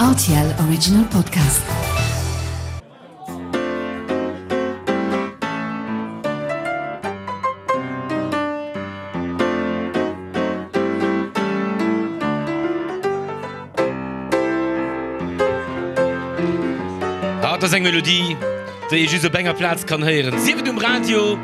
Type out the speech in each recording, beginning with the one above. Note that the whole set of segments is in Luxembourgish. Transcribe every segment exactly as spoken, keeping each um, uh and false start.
R T L Original Podcast. Ah, dat ass eng Melodie, déi ee just op enger Plaz kann héieren. Sief et um Radio,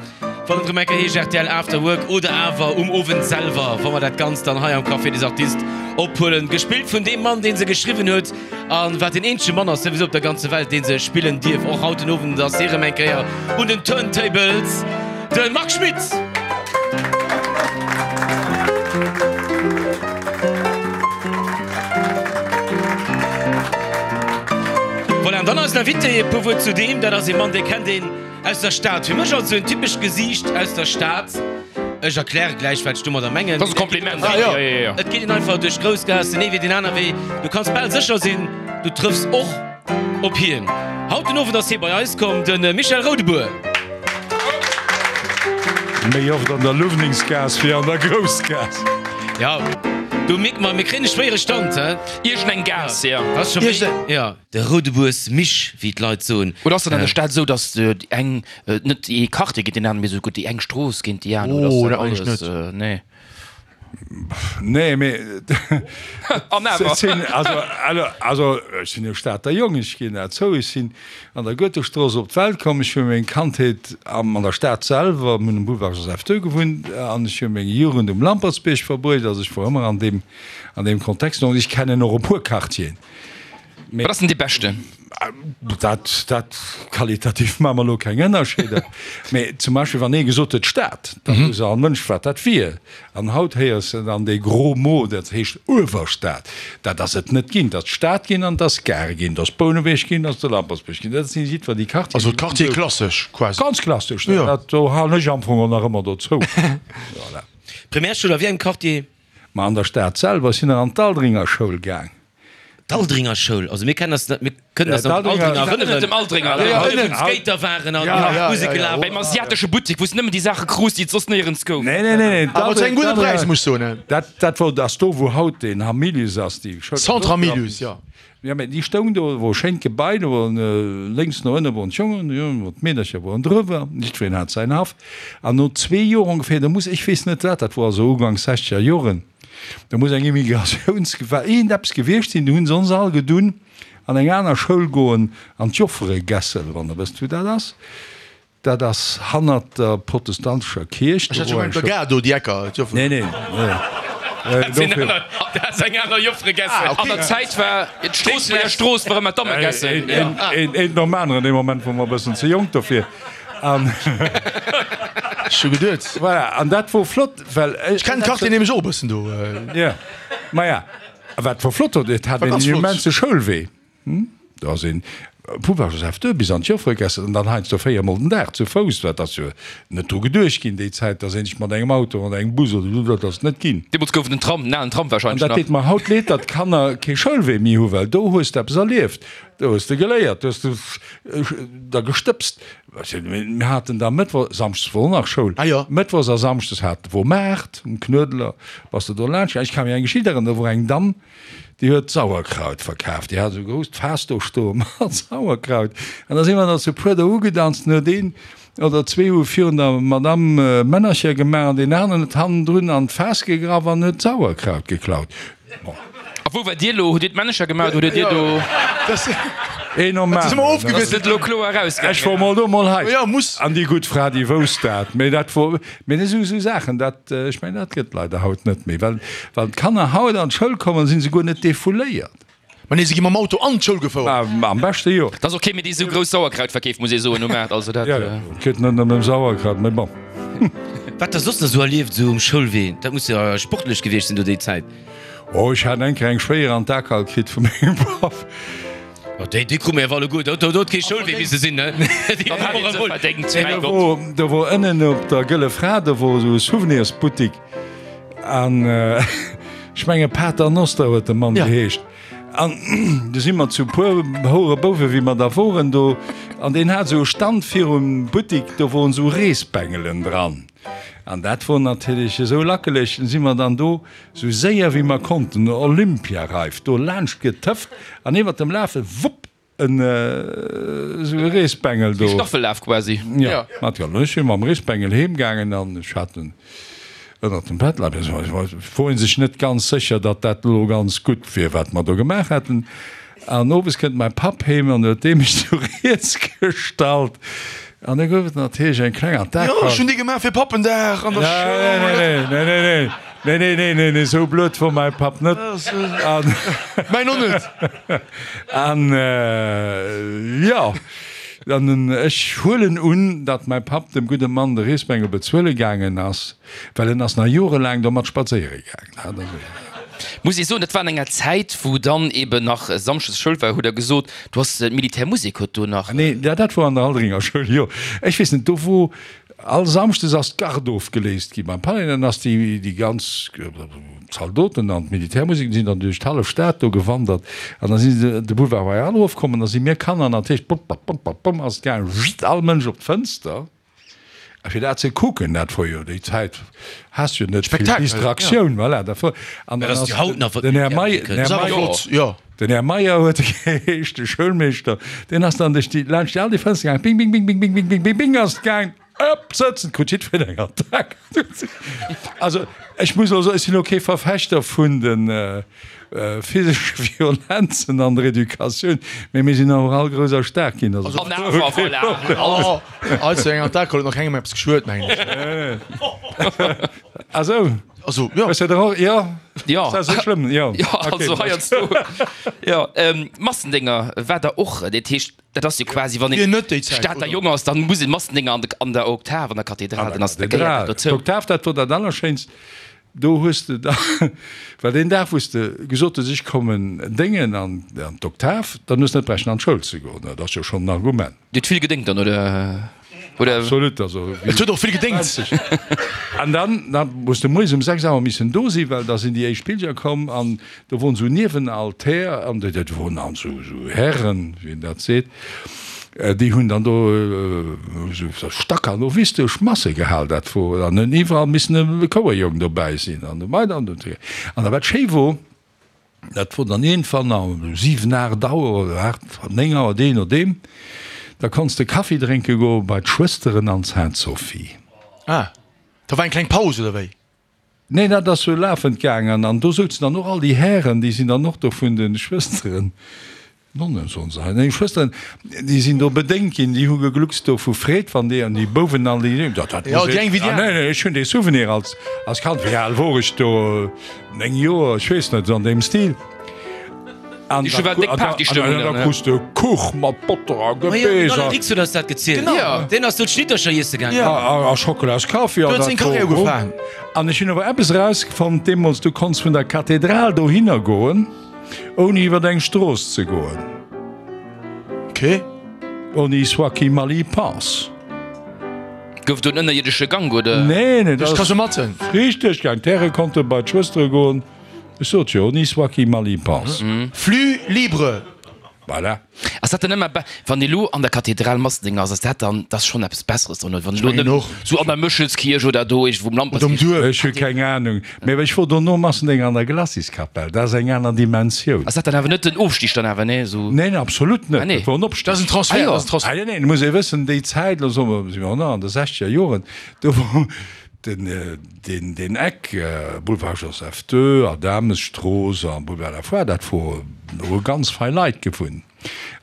wann et erëm eng Kéier heescht R T L After Work, oder awer um Owend selwer, wa mer dat Ganzt dann hei am Café des Artistes ophuelen. Gespillt vun deem Mann, dee se geschriwwen huet an wat deen eenzege Mann ass souwisou op der ganzer Welt, dee se spillen dierf. Och haut den Owend ass hie erëm eng Kéier un den Turntables, de Marc Schmitt! Voilà, an dann eisen Invité, e puer Wuert zu deem, dat ass ee Mann, dee kennt een aus der Stad. Fir mech also en typescht Gesiicht aus der Stad. Ech erkläre gläich, wat ech domadder mengen. Dat ass e Kompliment. Ah, jo. Jo, jo, jo. Et geet een einfach duerch d'Groussgaass, den ee Wee, den aner Wee. Du kanns bal sécher sinn, du trëffs och op hien. Haut den Owend ass hie bei eis komm, de Michel Roudebour. Méi oft an der Luwningsgaass wéi an der Groussgaass. Jo, du mierk mer, mir kréien e schwéiere Stand, hä? Iergendeng Gaass, jo. Ass scho méi, jo. De Roudebours Mich, wéi d'Leit soen. Oder ass dat an der Stad esou, datt déi eng net ee Quartier géint deen aneren, mee esou gutt déi eng Strooss géint déi aner? Oh, Oder dat ass dat mengen ech alles, nee. Nee, mee An awer. Et sinn, also, also ech sinn jo Stater Jong, ech ginn dat zou. Ech sinn an der Goethestrooss op d'Welt komm. Ech hu meng Kandheet am, an der Stad selwer, mir hunn um Boulevard Joseph deux gewunnt, an ech hu meng Jugend um Lampertsbierg verbruecht. Also ech wor ëmmer an deem, an deem Kontext. Donc ech kennen och e puer Quartieren. Wat ass denn dee beschten? Dat, dat qualitativ maache mer elo keng Ënnerscheeder. Mee zum Beispill, wann ee gesot huet Stad, da wousst all Mënsch, wat dat wier. An haut héiers de dann dee gros mot, dat heescht Uewerstad. Dat ass et net ginn. Et ass d'Stad ginn an et ass d'Gare ginn, et ass Bouneweg ginn, et ass de Lampertsbierg ginn. Dat sinn jiddwer déi Quartieren. Also d'Quartiere klassesch quasi. Ganz klassesch. Dat do halen ech am Fong och nach ëmmer dozou. Voilà. Primärschoul a wéi engem Quartier? Ma an der Stad selwer. Ech sinn nach an d'Aldringer Schoul gaang. D'Aldringer Schoul, also mir kennen eis, mir kënnen eis nach un d'Aldringer erënneren. Dem Aldringer, ja, wou d'Skater waren an d'Musek gelaf. Beim asiatesche Buttek, wou s nëmmen déi Saache krus, déi et soss néierens gouf. Nee, nee, nee, nee. Awer zu engem gudde Präis, muss ech soen. Dat, dat wor, ass do, wou haut den Hamilius ass, déi Schoul. Centre Hamilius, jo. Jo, mä déi stoung do, wor e schéint Gebai, do wor lénks no ënne woren d'Jongen, jo, d'Meedercher woren drëwer, jiddwereen hat säin Haff. An no zwee Joer ongeféier, do muss, ech weess net wat dat wor, also uganks sechzeger Joren, Do muss eng Immigratiounsgefahr iergendeppes gewiescht sinn. Do hunn se ons all gedunn an eng aner Schoul goen, an d'Jofferegässel, wann der wësst wou dat ass. Dat ass hannert der protestantescher Kierch. Ech hat scho gemengt, der Gare do, déi Ecker, d'Joffere. Nee, nee, nee. Dat sinn aner, dat ass eng aner Jofferegässel. An der Zäit war d'Stroossbuerger Strooss war ëmmer d'Dammegässel. Een, een, een nom aneren. Dee Moment wor mer e bëssen ze jonk dofir. An. Ech hu geduet. Voilà, an dat wor flott. Well ech kennen d'Quartier nämlech och e bëssen do. Jo, maja, wat wor flott do, et hat een en immense Schoulwee. Do ass een Boulevard Joseph deux bis an d'Joffregässel an dann heiansdo véier mol den Dag zu Fouss. Dat ass jo net dru geduecht ginn déi Zäit, dass een sech mat engem Auto oder engem Bus oder esou, dat ass net ginn. Deemools gouf et den Tram, den alen Tram An wahrscheinlech dat nach. deet mer haut leed, datt d'Kanner kee Schoulwee méi hu, well do hues de eppes erlieft, do hues de geléiert, do hues de da gestëbst. Mir haten da Mëttwo, Samschdes wor och nach Schoul, Mëttwochs a Samschdes hat, wor Maart um Knuedler, bass de do laanscht gaangen. Ech ka mech eng Geschicht erënneren, do wor eng Damm, déi huet Sauerkraut verkaaft, déi hat esou e grousst Faass do stoe mat Sauerkraut an da si mer da zu puer do ugedanzt an huet een oder zwee hu virun der Madamm Männercher gemaach an deen aneren huet hannendrun an d'Faass gegraff an huet Sauerkraut geklaut. Bon. A wou waart Dir elo? Hutt Dir d'Männecher gemaach oder hutt Dir do. Een nom aneren. Ass et elo kloer erausgaangen? Ech wor mol do, mol hei. An déi gutt Fra, déi wousst dat. Mee dat wor, mee esou, esou Saachen, dat, ech mengen, dat gëtt leider haut net méi. Well wann d'Kanner haut an d'Schoul kommen, si se guer net defouléiert. Ma nee, se gi mam Auto an d'Schoul gefouert. Ma am beschte jo. Dat ass och kee méi, dee sou grouss Sauerkraut verkeeft, muss ee soen, um Maart. Also dat. Jo, jo, et geet net nëmmen ëm Sauerkraut, mee bon. Wat der soss nach esou erlieft, esou um Schoulwee, dat muss jo sportlech gewiescht sinn do déi Zäit. Oh, ech hat eng Kéier eng schwéier an d'Akal kritt vu mengem Papp. Oh, déi, déi krute mir awer alleguer. Do, do huet kee Schoulwee misse sinn, ne? Déi Dann hat krute een se mer emol. verdéngt, mäi Do Gott. wor, do wor ënnen op der Gëlle Fra, do wor esou e Souvenirsbuttik an ech menge Pater Noster huet de Mann geheescht. An du si mer zu puer houre Bouwe wéi mer da woren do, an deen hat esou e Stand virum Buttik, do woren esou Reesbengelen dran. An dat wor natierlech esou lackeleg, si mer dann do sou séier wéi mer konnten, Olympiareif do laanscht getëfft an iwwert dem Lafe wupp en esou e Reesbengel do. Wéi Staffellaf quasi. Jo, mat jo. Ech si mam Reesbengel heem gaangen an ech hat en ënnert dem Bett leien. Et wor ee sech net ganz sécher, datt dat elo ganz gutt wier, wat mer do gemaach haten. An owes kënnt mäi Papp heem an huet dee mech du riets gestallt. An da gouf et natierlech eng kleng Attack. Jo, ech hunn déi gemaach fir Pappendag an der Schoul. Nee, nee, nee, nee, nee, nee, nee, nee, nee, esou blöd wor mäi Papp net. An. Mäin och net. An, jo, an ech huelen un, datt mäi Papp dem gudde Mann de Reesbengel bezuele gaangen ass, well en ass nach jorelaang domat spadséiere gaangen. Muss ee soen, dat war an enger Zäit, wou dann eben nach samschdes Schoul war, hutt Der gesot, du has d'Militärmusek huet do nach. Nee, dat wor an der Aldringer Schoul, jo. Ech weess net, do wor all samschdes ass d'Garde ofgeléist gi beim Palais, dann ass déi déi ganz Zaldoten an d'Militärmusek sinn dann duerch d'hallef Stad do gewandert an da si se de Boulevard Royal erofkomm an da si mir Kanner natierlech, bom, bom, bom, bom, bom ass et gaangen, all Mënsch op d'Fënster. A fir dat ze kucken, dat wor jo déi Zäit, has jo net vill Distraktioun, voilà, dat wor, an dann ass den Här Meyer, den Här Meyer, den Här Meyer huet e geheescht, de Schoulmeeschter, deen ass dann duerch déi, laanscht déi all déi Fënster gaangen, bing, bing, bing, bing, bing, bing, bing, bing, bing ass et gaangen, ëpp, sëtzen, krut jiddwereen eng Attack. Also, ech muss elo soen, ech sinn elo kee Verfechter vun de Physesche Violenzen an der Educatioun, mee mir sinn och all grouss a staark ginn. Also An awer, voilà. Also eng Attack huet nach kengem eppes geschuet, mengen ech. Ah sou. Also, jo. Hues de der och, jo? Jo. Ass dat sou schlëmm? Jo. Jo, also heiansdo. Jo, Massendénger war der och. Dat heescht, dat ass jo quasi, wann Wier een net déi Zäit, Stater oder? Jong ass, dann muss een Massendénger an de, an der Oktav, an der Kathedral, dann ass, da gehéiert dat dozou. D'Oktav, dat wor dat Allerschéinst. Do hues de da, well deen Dag, wou s de gesot hues, ech kommen déngen an d'Oktav, dann hues de net bräichten an d'Schoul ze goen. Dat ass jo schonn en Argument. Dir hutt vill gedéngt dann, oder? Oder? Absolut, also wéi. Et huet och vill gedéngt. An dann, da hues de moies um sechs Auer missen do sinn, well da sinn déi éischt Pilger komm an do woren esou Niewenaltär an dat woren dann esou Hären, wéi een dat seet. Déi hunn dann do esou stakhanovistesch Masse gehal, dat wor, an hunn iwwerall missen e Chouerjong dobäi sinn an esou weider an esou. An da wat schéi wor, dat wor dann iergendwann um siwen, aacht Auer oder aacht, néng Auer, dee nodeem, da konns de Kaffi drénke goe bei d'Schwësteren an d'Sainte-Sophie. Ah, da war eng kleng Paus, oder wéi? Neen, dat ass sou lafend gaangen an do souzen dann och all déi Hären, déi sinn dann och do vun de Schwësteren, Nonnen soen se hei, neen, Schwësteren, déi sinn do bedéngt ginn, déi hu gegluckst do vu Freed, wann déi an déi Bouwen an déi, dat dat Jo, déi eng wéi déi aner. Neen, neen, ech hunn dee Souvenir als als Kand, wéi al wor ech do, néng Joer, ech weess net, esou an deem Stil. An Déi war déck Partystëmmung dann, da krus de Kuch mat Botter a Gebeess a. Dix huet eis dat gezielt. Genau. Deen ass do d'Schnittercher iesse gaangen. A Schockelaskaffi. Do huet seng Karriär ugefaangen. An ech hunn awer eppes erausfonnt deemools, du konns vun der Kathedral dohinner goen, ouni iwwer eng Strooss ze goen. Ok. On y soit qui mal y pense. Gouf do en ënnerierdesche Gank, oder? Nee, nee, dat Duerch ass d'Kasematten. riicht duerchgaangen. D'Häre konnte bei d'Schwëstere goen. Ech sot jo, on y soit qui mal y pense. Flux libre. Voilà. Ass dat dann ëmmer be, wann ee lo an der Kathedral Massendénger ass, ass dat dann, dat ass schonn eppes Besseres dann, oder wann elo mengen nëmmen och. sou an der Méchelskierch oder do iergendwou um Oder um Lampertsbierg. Duerf. Ech hu keng Ahnung, mee ech wor dono Massendénger an der Glaciskapell, dat ass eng aner Dimensioun. Ass dat dann awer net den Ofstig dann awer, nee, sou? Neen, absolut net, Ah nee. dat wor en Opstig. Dat ass en Transfert, Ah jo. dat ass en Transfert. Ah nee, nee, et muss ee wëssen, déi Zäit, lo soe mer, si mer och nach an de sechzeger Joren, do wor Den, deen Eck, Boulevard Joseph ii a Damesstrooss a Boulevard de la Foire, dat wor, do hu ganz fei Leit gewunnt.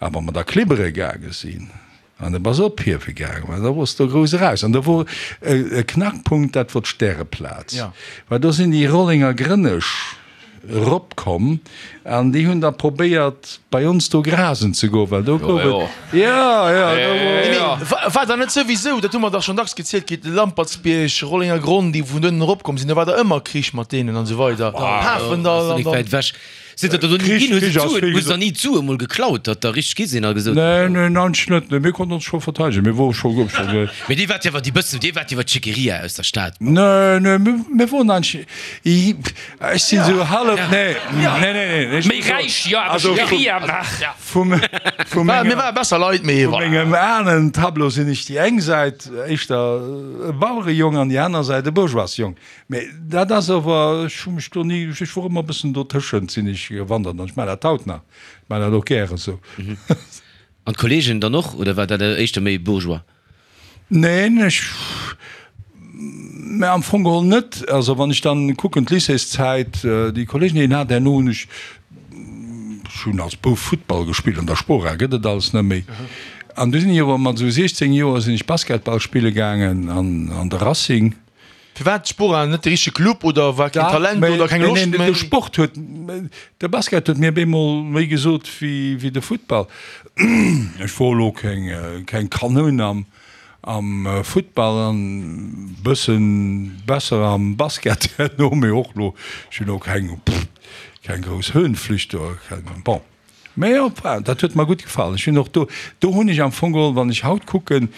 A wa mer da klibbere gaange sinn, an de bass ophiewe gaangen, well da wors de grouss eraus. An do wor e Knackpunkt, dat wor d'Stäreplaz, well do sinn déi Rollenger Grënnesch eropkomm an déi hunn da probéiert bei ons do grasen ze goen, well do gouf et, jo, jo, do wor. Mee war da net souwisou, dat hu mer dach schonn dacks gezielt kritt, de Lampertsbierg, Rollengergronn, déi vun donnen eropkomm sinn, do war da ëmmer Krich mat deenen an esou weider, Pafendall an dann. Wäit ewech. Sidd der do ni Krich, ginn? Hu se Krich ass d'Suen, wéi hu se gesot. der ni d'Sue mol geklaut, datt der richteg gi sinn a gesot. Nee, nee, nanch net. Nee, mir konnten ons scho verteidegen. Mir wore scho, scho. Mee dir waart jo awer déi bëssen, dir waart jo awer d'Schickeria aus der Stad. Nee, nee, mir, mir woren eigentlich, ech sinn esou hallef, nee, nee, nee, nee, ech Méi muss soen, räich, jo, awer also vum, Schickeria, ach, ja. vum, vum Mir menger, ware besser Leit, mee vu voilà. mengem Ahnentableau sinn ech déi eng Säit éischter e Bauerejong an déi aner Säit e Bourgeoisjong. Mee dat ass awer, ech hu mech do ni, ech wor ëmmer e bëssen dotëschent sinn ech gewandert an ech maachen dat haut nach, ech maachen dat och gäre sou. An d'Kollegen dann och, oder war dat éischter méi bourgeois? Neen, ech, mä am Fong geholl net. Also wann ech dann kucken d'Lycéeszäit, déi Kollegen déi een hat, herno hunn ech, ech hunn als Bouf Futtball gespillt an der Spora, gëtt et alles net méi. An du sinn ech awer mat esou siechzéng Joer sinn ech Basketball spille gaangen an an de Racing. Firwat Spora net de richtege Club oder war keen Dach, Talent mä oder keng nee, Loscht nee, de méi? Sport huet, de Basket huet mir bemol méi gesot wéi wéi de Futtball. Ech wor elo keng keng Kanoun am am Futtball an bëssen besser am Basket herno, mee och elo, ech hunn och keng keng grouss Höhenflücht do, bon. Mä enfin, dat huet mer gutt gefall. Ech hunn och do, do hunn ech am Fong geholl, wann ech haut kucken,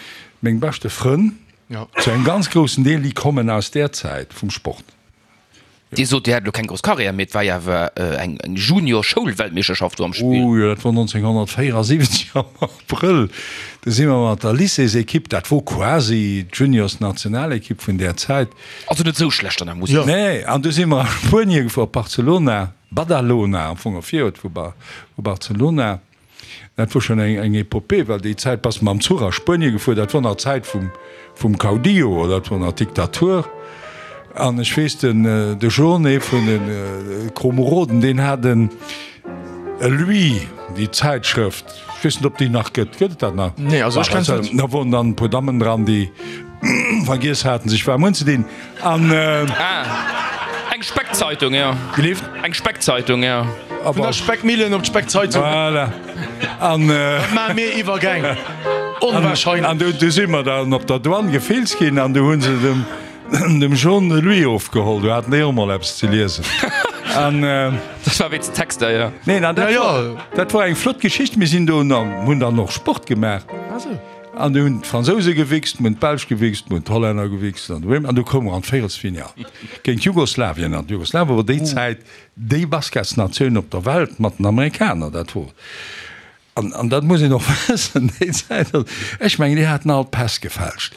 meng beschte Frënn, zu engem ganz groussen Deel, déi kommen aus där Zäit vum Sport. Dir sot, Dir hätt elo keng grouss Karriär, mee et war jo awer eng Junior-Schoulweltmeeschterschaft do am Spill. Oh jo, dat wor nonzénghonnertvéierasiwwenzeg am Abrëll. Do si mer mat der Lycéesekipp, dat wor quasi d'Juniors-Nationalekipp vun där Zäit. Also net esou schlecht an der Musek. Nee, an du si mer a Spuenie gefuer, op Barcelona, Badalona am Fong, e Viruert vu Barcelona. Dat wor schonn eng eng Epopée, well déi Zäit bass de mam Zuch a Spuenie gefuer, dat wor nach d'Zäit vum vum Caudillo, dat wor nach d'Diktatur. An ech weess, den de Jaune, ee vun de Komeroden, deen hat en e Lui, déi Zäitschrëft, ech weess net, ob déi nach gëtt, gëtt et dat nach? Nee, also ech kenne se net. Da woren dann e puer Dammen dran, déi vergiess haten, sech waarm unzedinn. An. Ah, eng Speckzeitung, jo. Gelift? Eng Speckzeitung, jo. Vun der Speckmillen op d'Speckzeitung. Voilà. An. Dat maache mir Iwwergäng. Onwahrscheinlech. An du si mer dann op der Douane gefilzt ginn an du hu se dem. Dem Jean de Louis ofgeholl, do hat en och mol eppes ze liesen. An. Dat war wéinst den Texter, jo. Neen, an dat war, dat war eng flott Geschicht. Mir sinn do an hunn dann och Sport gemaach. An du hunn d'Fransouse gewichst, mir hunn d'Belsch gewichst, mir hunn d'Hollänner gewichst an du, an du koume mer an d'Véierelsfinall géint Jugoslawien. An Jugoslawien war déi Zäit déi Basketsnatioun op der Welt mat den Amerikaner. Dat wor. An, an dat muss een och wëssen, déi Zäit, also ech mengen, déi haten all d'Päss gefälscht.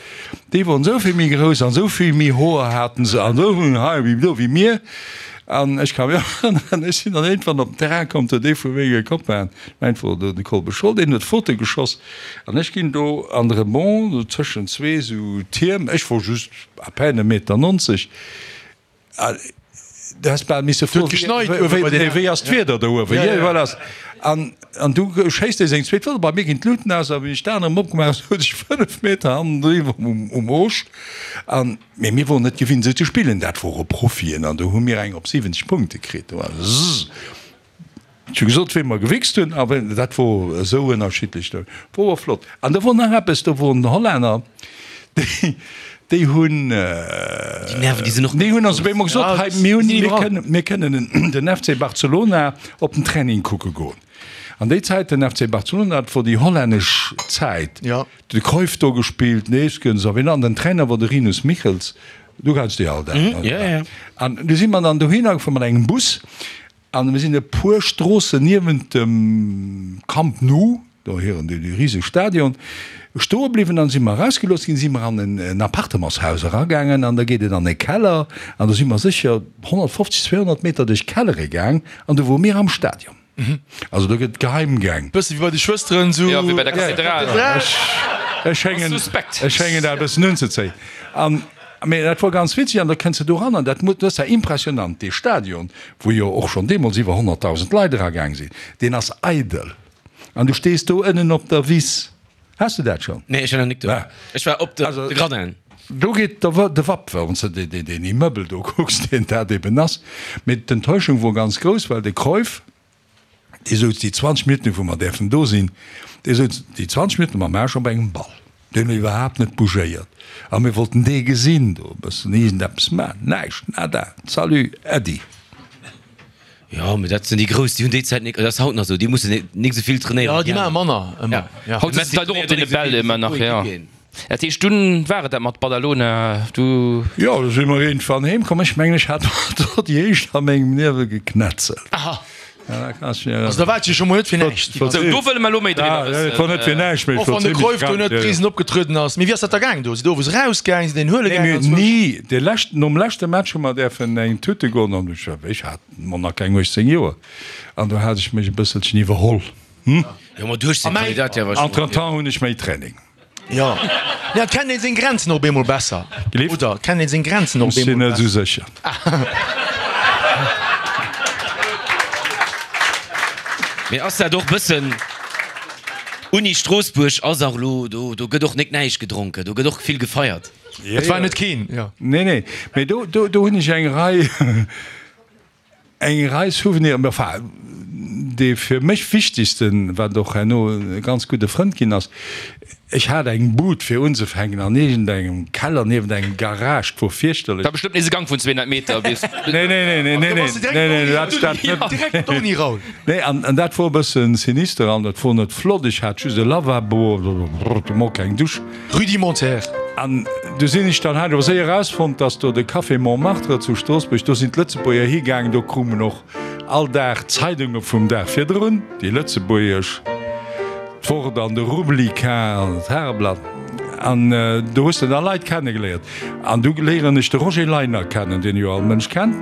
Déi woren esou vill méi grouss an esou vill méi Hoer haten se an esou vill méi hei wéi do wéi mir. An ech ka mech och erënneren, ech sinn dann iergendwann op den Terrain komm, do huet ee vu menge Copainen, ech mengen et wor do de Kolbe Scholl, deen huet d'Faute geschoss an ech ginn do an de Rebond, do tëschent zwee esou Tierm, ech wor just à peine e Meter nonzeg, Du häss bal misse froen, wéi ass d'Wieder do uewen? An an du schéisst dee seng zweet Foto, bei mir ginn d'Luuten aus a wéi ech d'Aen erëm opgemaach hunn, sot ech fënnef Meter hannendriwwer um Oosch. An mee mir woren net gewinnt esou ze spillen, dat wore Profien an do hu mir eng op siwwenzeg Punkte kritt. Do war zzz. Ech hu gesot, wéi mer gewichst hunn, awer dat wor esou ënnerschiddlech, dat wor och flott. An do wor nach eppes, do woren Hollänner, déi, déi hunn, Déi Nerven, déi sinn och déi hunn ons op eemol gesot, hei, mir hunn, mir kënnen, mir kënnen den F C Barcelona op den Training kucke goen. An déi Zäit, den F C Barcelona, dat wor déi hollännesch Zäit, de Cruyff do gespillt, Neeskens a wien, an den Trainer wor de Rinus Michels, du kenns déi all, dat. An du si mer dann dohinner gefuer mat engem Bus. An mir sinn e puer Stroossen niewent dem Camp Nou, do hiren dee riseg Stadion, stoe bliwwen. An si mer erausgelooss ginn, si mer an en Appartementshaus eragaangen an da geet et an e Keller an do si mer sécher honnertfofzeg, zweehonnert Meter duerch d'Kellere gaang an du wore mir am Stadion. Also do gëtt Geheimgäng. Bësse wéi bei de Schwësteren esou. Jo, wéi bei der Kathedral. Ech schéngen dat e bëssen unzezéien. An Mee dat wor ganz witzeg an da kënns de do ran an dat muss, dat ass ja impressionant, dee Stadion, wou jo och schonn deemools iwwer honnertdausend Leit eragaang sinn, deen ass eidel an du stees do ënnen op der Wiss. Has de dat schonn? Nee, ech war nach nik do. Ech war op de Gradin. Do geet der de Wapp, wann s de deen Immeuble do kucks, deen dat eben ass. Mee d'Enttäuschung wor ganz grouss, well de Cruyff, dee souz déi zwanzeg Minutten, wou mer däerfen do sinn, dee souz déi zwanzeg Minutten mam Aarsch op engem Ball. Deen huet iwwerhaapt net bougéiert. A mir wollten dee gesinn do e bëssen iergendeppes maachen. Näischt, nada. Salut, Äddi. Jo, mee dat sinn déi Grouss, déi hunn déi Zäit nik, dat ass haut nach esou, déi mussen nik esou vill trainéieren. Jo, déi maache manner ëmmer. Ja. Haut sëtzen d'Leit och op deene Bäll ëmmer nach, jo. Dat heescht, dunn war et dat mat Badalona, du. Jo, du si mer iergendwann heem komm. Ech mengen, ech hat do déi éischt a mengem Liewe geknetzelt. Aha. Also da war et jo scho mol net fir näischt. Sou, do wëlle mer elo méi driwwer wëssen. Et war net fir näischt, mee et Och war wann de zimmlech Cruyff do krank, net jo, jo. Risen opgetrueden ass. Mee wéi ass dat da gaang do? Sidd der owes erausgaang? Sidd der een huele Nee, gaang mir hunn anzwousch? ni, dee leschten, nom leschte Match hu mer däerfen eng Tute goen an ech, ech hat mol nach keng uechtzéng Joer an do hat ech mech e bësselchen iwwerholl. Hm? Jo, ma du hues den Kandidat ja wahrscheinlech. Entretemps hunn ech méi Training. Jo, ja, et kennt een seng Grenzen och op eemol besser. Gelift? Oder et kennt een seng Grenzen och op Ech sinn eemol net esou besser. sécher. Mee ass dat och bëssen, Uni Stroossbuerg ass och elo, do, do gëtt och nik näischt gedronken, do gëtt och vill gefeiert. Et war net keen, jo. Nee, nee, mee do, do, do hunn ech eng Rei, Eng Rei Souveniren, mä enfin, dee fir mech wichtegsten, wat och herno e ganz gudde Frënd ginn ass, ech hat eng Bud fir unzefänken an iergendengem Keller niewent engem Garage, 't wor fierchterlech. War bestëmmt nees e Gank vun zweehonnert Meter bis. Nee, nee, nee, nee, nee, nee, nee, dat, dat net. Direkt d'Uni, Raoul. Nee, an, an dat wor e bëssen sinister an et wor net flott, ech hat just e Lavabo, mol keng Dusch. Rudimentaire. An du sinn ech dann, hat ech awer séier erausfonnt, dass do de Café Montmartre zu Stroossbuerg, do sinn d'Lëtzebuerger higaangen, do krumen och all Dag d'Zeidunge vum Dag virdrun, déi lëtzebuergesch, d'Wort an de Rubliquin an d'Tageblatt. An do hues de da Leit kennegeléiert. An du léieren ech de Roger Leiner kennen, deen jo all Mënsch kennt.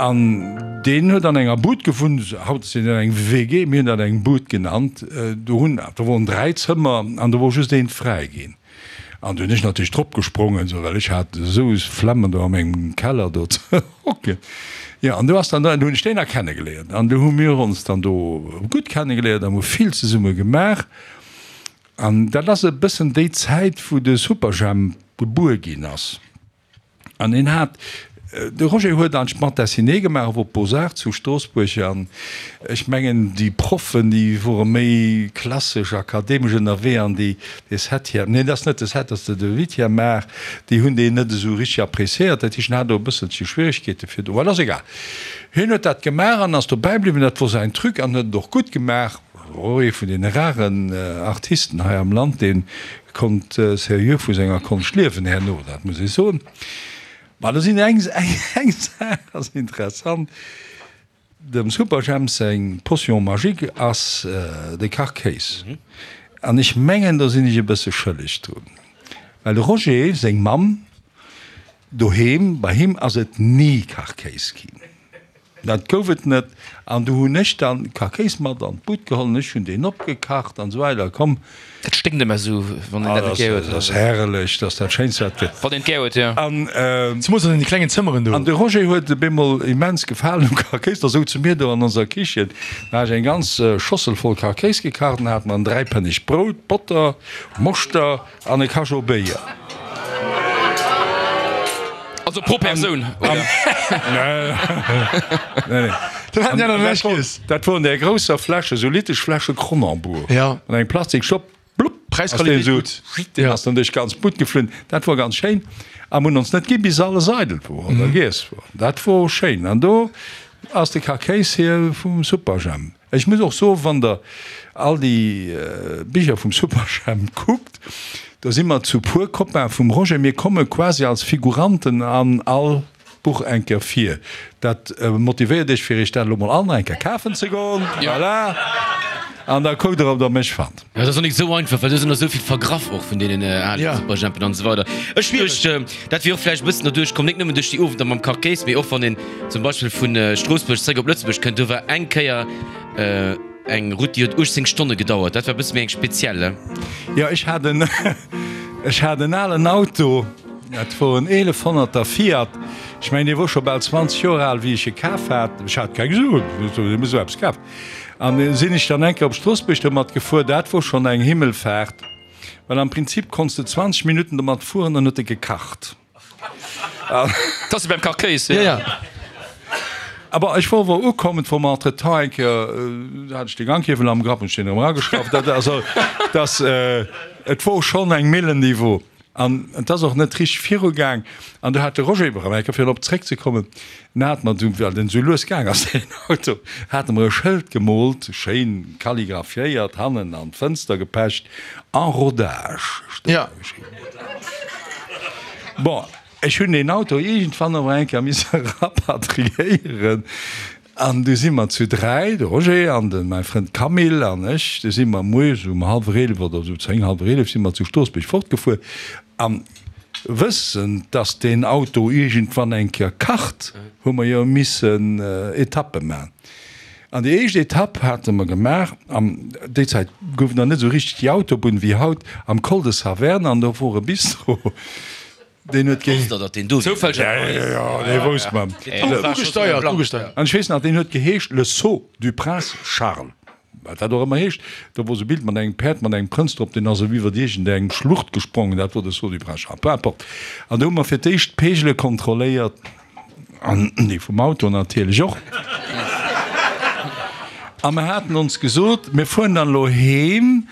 An deen huet an enger Bud gewunnt, haut ass dat eng W G, mir hunn dat eng Bud genannt. Do hunn, do woren dräi Zëmmer an do wor just eent fräi ginn. An do hunn ech natierlech drop gesprongen, esou, well ech hat esou Flemmen do a mengem Keller do ze hocken. Jo, an do ass dann, do hunn ech deen da kennegeléiert an do hu mir ons dann do gutt kennegeléiert an hu vill zesumme gemaach. An dat ass e bëssen déi Zäit, wou de Superjhemp gebuer ginn ass. An hien hat, de Roger huet an d'Bande dessinée gemaach op Beaux-Arts zu Stroossbuerg. An ech mengen, déi Proffen, déi wore méi klassesch akademesch ënnerwee an déi, dee Septième, neen, dat ass net de Sept, dat ass de Huitième Art, déi hunn deen net esou richteg appréciéiert. Dat heescht, en hat do e bësselche Schwieregkeete fir do, well ass egal. Hien huet dat gemaach an ass dobäi bliwwen, dat wor säin Truc an huet et och gutt gemaach. Wor ee vun deene raren Artisten hei am Land, dee konnt seriö vu senger Konscht liewen herno, dat muss ech soen. Ma do sinn eng eng Saach ass interessant, Dem Superjhemp seng Potion magique ass de Kachkéis. An ech mengen, do sinn ech e bësse schëlleg drun, well de Roger seng Mamm doheem, bei him ass et ni Kachkéis ginn. Dat gouf et net. An du hunn ech dann Kachkéis mat an d'Bud geholl an ech hunn deen opgekacht an esou weider. Komm. Dat sténkt ëmmer esou, wann een dat net gär huet. Dat ass herrlech, dat ass dat Schéinst, wat et gëtt. Wann een et gär huet, jo. An. Zemools an deene klengen Zëmmeren do. An de Roger huet op eemol immens gefalen um Kachkéis. Da souze mir do an onser Kichen, da hat ech eng ganz Schossel voll Kachkéis gekacht an hat mer en dräipënnegt Brout, Botter, Moschter an e Cachot Béier. Also pro Persoun, oder? Nee, nee. Dann haten déi aner näischt giess. Dat wor an där grousser Fläsch, esou litesch Fläsche Kronenbourg. Ja. An engem Plastikstopp, blupp, ass deen Preisqualitéit esou, gutt. deen ass dann duerch d'ganz Bud geflunn. Dat wor ganz schéin. A mir hunn ons net ginn, bis alles eidel wor oder giess wor. Dat wor schéin. An do ass de Kakéis hier vum Superjhemp. Ech muss och soen, wann der all déi Bicher vum Superjhemp kuckt, do si mer zu puer Copain vum Roger, mir komme quasi als Figuranten an all Buch eng Kéier vir. Dat motivéiert iech fir iech dat elo mol all nach eng Kéier kafen ze goen, voilà, an da kuckt der ob der mech fannt. Jo, dat ass och nik esou einfach, well do sinn der esou vill vergraff och vun deenen ale Superjhempen an esou weider. Ech duecht, dat wier och vläicht e bëssen derduerch komm, nik nëmmen duerch déi Owender mam Kachkéis, mee och wann een zum Beispill vu Stroossbuerg zréck op Lëtzebuerg kënnt, do war eng Kéier eng Route, déi huet uechtzéng Stonne gedauert. Dat war e bësse méi eng speziell, he? Jo, ech hat en, ech hat en alen Auto, dat wor en eelefhonnerter Fiat. Ech mengen, dee wor scho bal zwanzeg Joer al, wéi ech e kaf hat. Ech hat keng Suen, ech hu esou eppes kaf. An du sinn ech dann eng Kéier op Stroossbuerg domat gefuer. Dat wor schonn eng Himmelfaart, well am Prinzip konns de zwanzeg Minutten domat fueren, dann huet e gekacht. Dat ass wéi beim Kachkéis, jo. Ja, ja. Aber ech wor wor ukomm, et wor mer entretemps eng Kéier, do hat ech de Ganghiewel am Grapp, hunn ech deen erëm erageschrauft. Dat, also, dass, et wor schonn eng Millen, déi wor. An et ass och net richteg virugaang. An du hat de Roger iwwer eng Kéier, fir erop zréckzekommen, en hat mer du, well den esou lues gaang ass, deen Auto, hat e mer e Schëld gemoolt, schéin kalligraphiéiert, hannen an d'Fënster gepecht, En rodage stoung do geschriwwen. Bon, ech hunn deen Auto iergendwann awer eng Kéier misse rapatriéieren. An du si mer zu dräi, de Roger an de mäi Frënd Camille an ech, du si mer moies um hallwer eelef oder esou, zéng, hallwer eelef si mer zu Stroossbuerg fortgefuer. A wëssend, dass deen Auto iergendwann eng Kéier kacht, hu mer jo missen Etappe man. An déi éischt Etapp hate mer gemaach, an déi Zäit gouf et nach net esou richteg déi Autobunn wéi haut, am Col de Saverne, an do wor e Bistro. Deen huet Wosst der, datt deen do wier? Ja, ja, ja, dee wousst mer. Ugesteiert, ugesteiert. An ech weess nach, deen huet geheescht Le Sceau du Prince Charles. Wat dat och ëmmer heescht. Do wor sou e Bild mat engem Päerd mat engem Prënz drop, deen ass esou iwwert iergendeng Schlucht gesprongen. Dat wor de Sceau du Prince Charles. Peu importe. An do hu mer fir d'éischt d'Peegele kontrolléiert, an déi vum Auto natierlech och. A mer haten ons gesot, mir fueren dann elo heem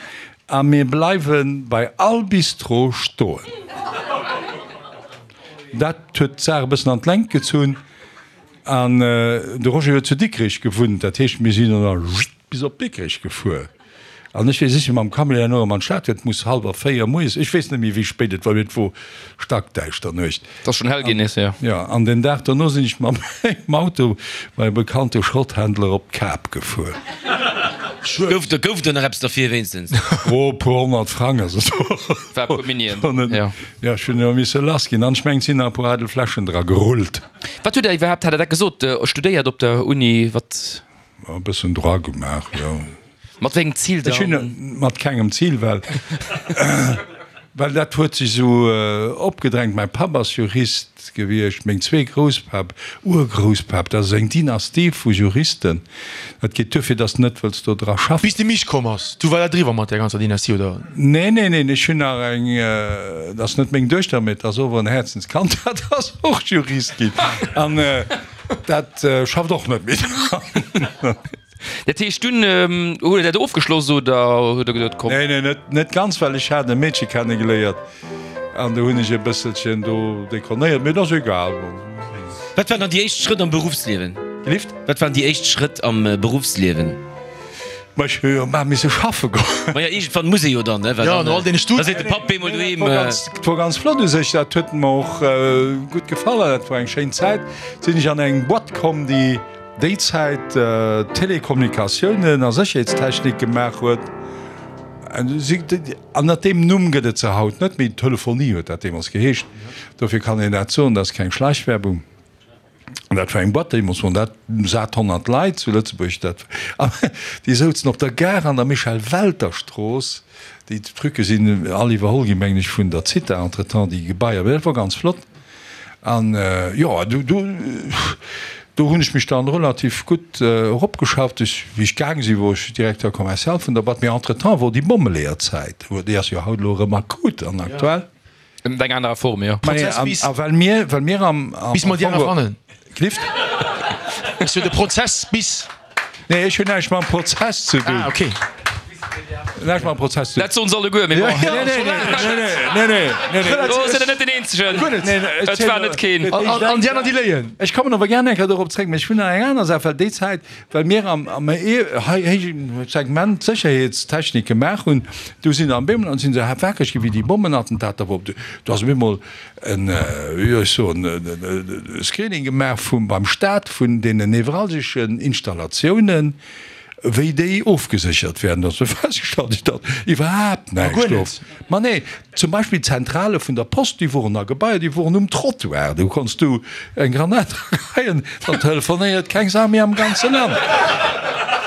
A mir bleiwe bei all Bistro stoen. Dat huet d'Saach e bëssen an d'Längt gezunn. An de Roger huet zu Dikrech gewunnt, dat heescht, mir sinn dann bis op Dikrech gefuer. An ech weess, ech si mam Camion herno erëm an d'Stad, et muss hallwer véier moies, ech weess net méi wéi spéit et war, mee et wor stackdäischter Nuecht. Et ass schonn hell ginn nees, jo. Jo, an den Dag dono sinn ech mam mengem Auto bei e bekannte Schrotthändler op d'Kap gefuer. Gouf do, gouf do nach eppes derfir wéinstens? Oh, e puer honnert Frang, also do. War e puer Minien, jo. Jo, ech hunn jo misse lass ginn. An ech mengen, et sinn nach e puer eidel Fläschen dra gerullt. Wat hutt Der iwwerhaapt, hat Der dat gesot, studéiert op der Uni? Wat? E bëssen Droit gemaach, jo. Mat wéi engem Zil dann? Ech hunn mat kengem Zil, well well dat huet sech esou opgedrängt. Mäi Papp ass Jurist gewiescht, meng zwee Grousspapp, Urgrousspapp, dat ass eng Dynastie vu Juristen. Dat geet duerfir, dass de net wëlls do dra schaffen. Bis de Mich komm ass, du war dat eriwwer mat där ganzer Dynastie, oder? Nee, nee, neen, ech hunn nach eng, dat ass net meng Duechter, mee et ass ower en Häerzenskand, dat ass och Jurist ginn an dat schafft och net méi dran. Dat heescht, dunn hutt Der dat ofgeschloss oder hutt Der gesot, komm. Nee, nee, net, net ganz, well ech hat e Meedche kennegeléiert an do hunn ech e bësselchen do dekonéiert, mee et ass egal. Wat waren dann déi éischt Schrëtt am Beruffsliewen? Gelift? Wat waren déi éischt Schrëtt am Beruffsliewen? Ma ech hu jo mar misse schaffe goen. Maja, iergendwann muss ee jo dann, ne? Well Ja, no all deene da seet de Papp bemol doheem. Dat wor ganz flott u sech, dat huet mer och gutt gefall an dat wor eng schéin Zäit. Sinn ech an eng Boîte komm, déi déi Zäit Telekommunikatiounen a Sécherheetstechnik gemaach huet. Ënnert deem Numm gëtt et se haut net méi, Telefonie huet dat deemools geheescht, dofir kann een dat soen, dat ass keng Schleichwerbung. An dat war eng Boîte, deemools woren dat sat honnert Leit zu Lëtzebuerg, dat déi souzen op der Gare an der Michel-Welter-Strooss. Déi Trucke sinn all iwwerholl ginn, mengen ech, vun der Zitha entretemps, déi Gebaier, mee dat wor ganz flott. An jo, do, do, do hunn ech mech dann relativ gutt eropgeschafft. Ech, wéi ech gaang sinn, wor ech Directeur commercial vun der Boîte. Mee entretemps wor déi Bommeleeërzäit, déi ass jo haut elo erëm akut an aktuell. Ënnert enger anerer Form, jo. Prozess bis. A well mir, well mir am, am. Bis mer déi aner fannen. Gelift? Ech sot de Prozess bis. Nee, ech hunn näischt mam Prozess ze dun. Ah, okay. Näischt mam Prozess ze dun. Dat soen se alleguer, mee bon. Nee, nee, nee, nee, nee, nee. Do sidd Der net den Eenzegen. Guer net. Et war net keen. An déi aner, déi léien. Ech kommen awer gär eng Kéier dorop zréck, mee ech hunn nach eng aner Saach, well déi Zäit, well mir am, am héije Segment Sécherheetstechnik gemaach hunn, du sinn am bemol, an sinn se wakereg gi wéi déi Bommenattentater, wou du ass op eemol en, wéi soll ech soen, e Screening gemaach vum, beim Staat vun deenen nevralgeschen Installatiounen, wéi déi ofgeséchert werden. Da ass festgestallt ginn, datt iwwerhaapt näischt do. Ma nee, zum Beispill d'Zentrale vun der Post, déi woren a Gebaier, déi woren um Trottoir, do konns du eng Granat drageheien, dann telefonéiert keng Sau méi am ganze Land.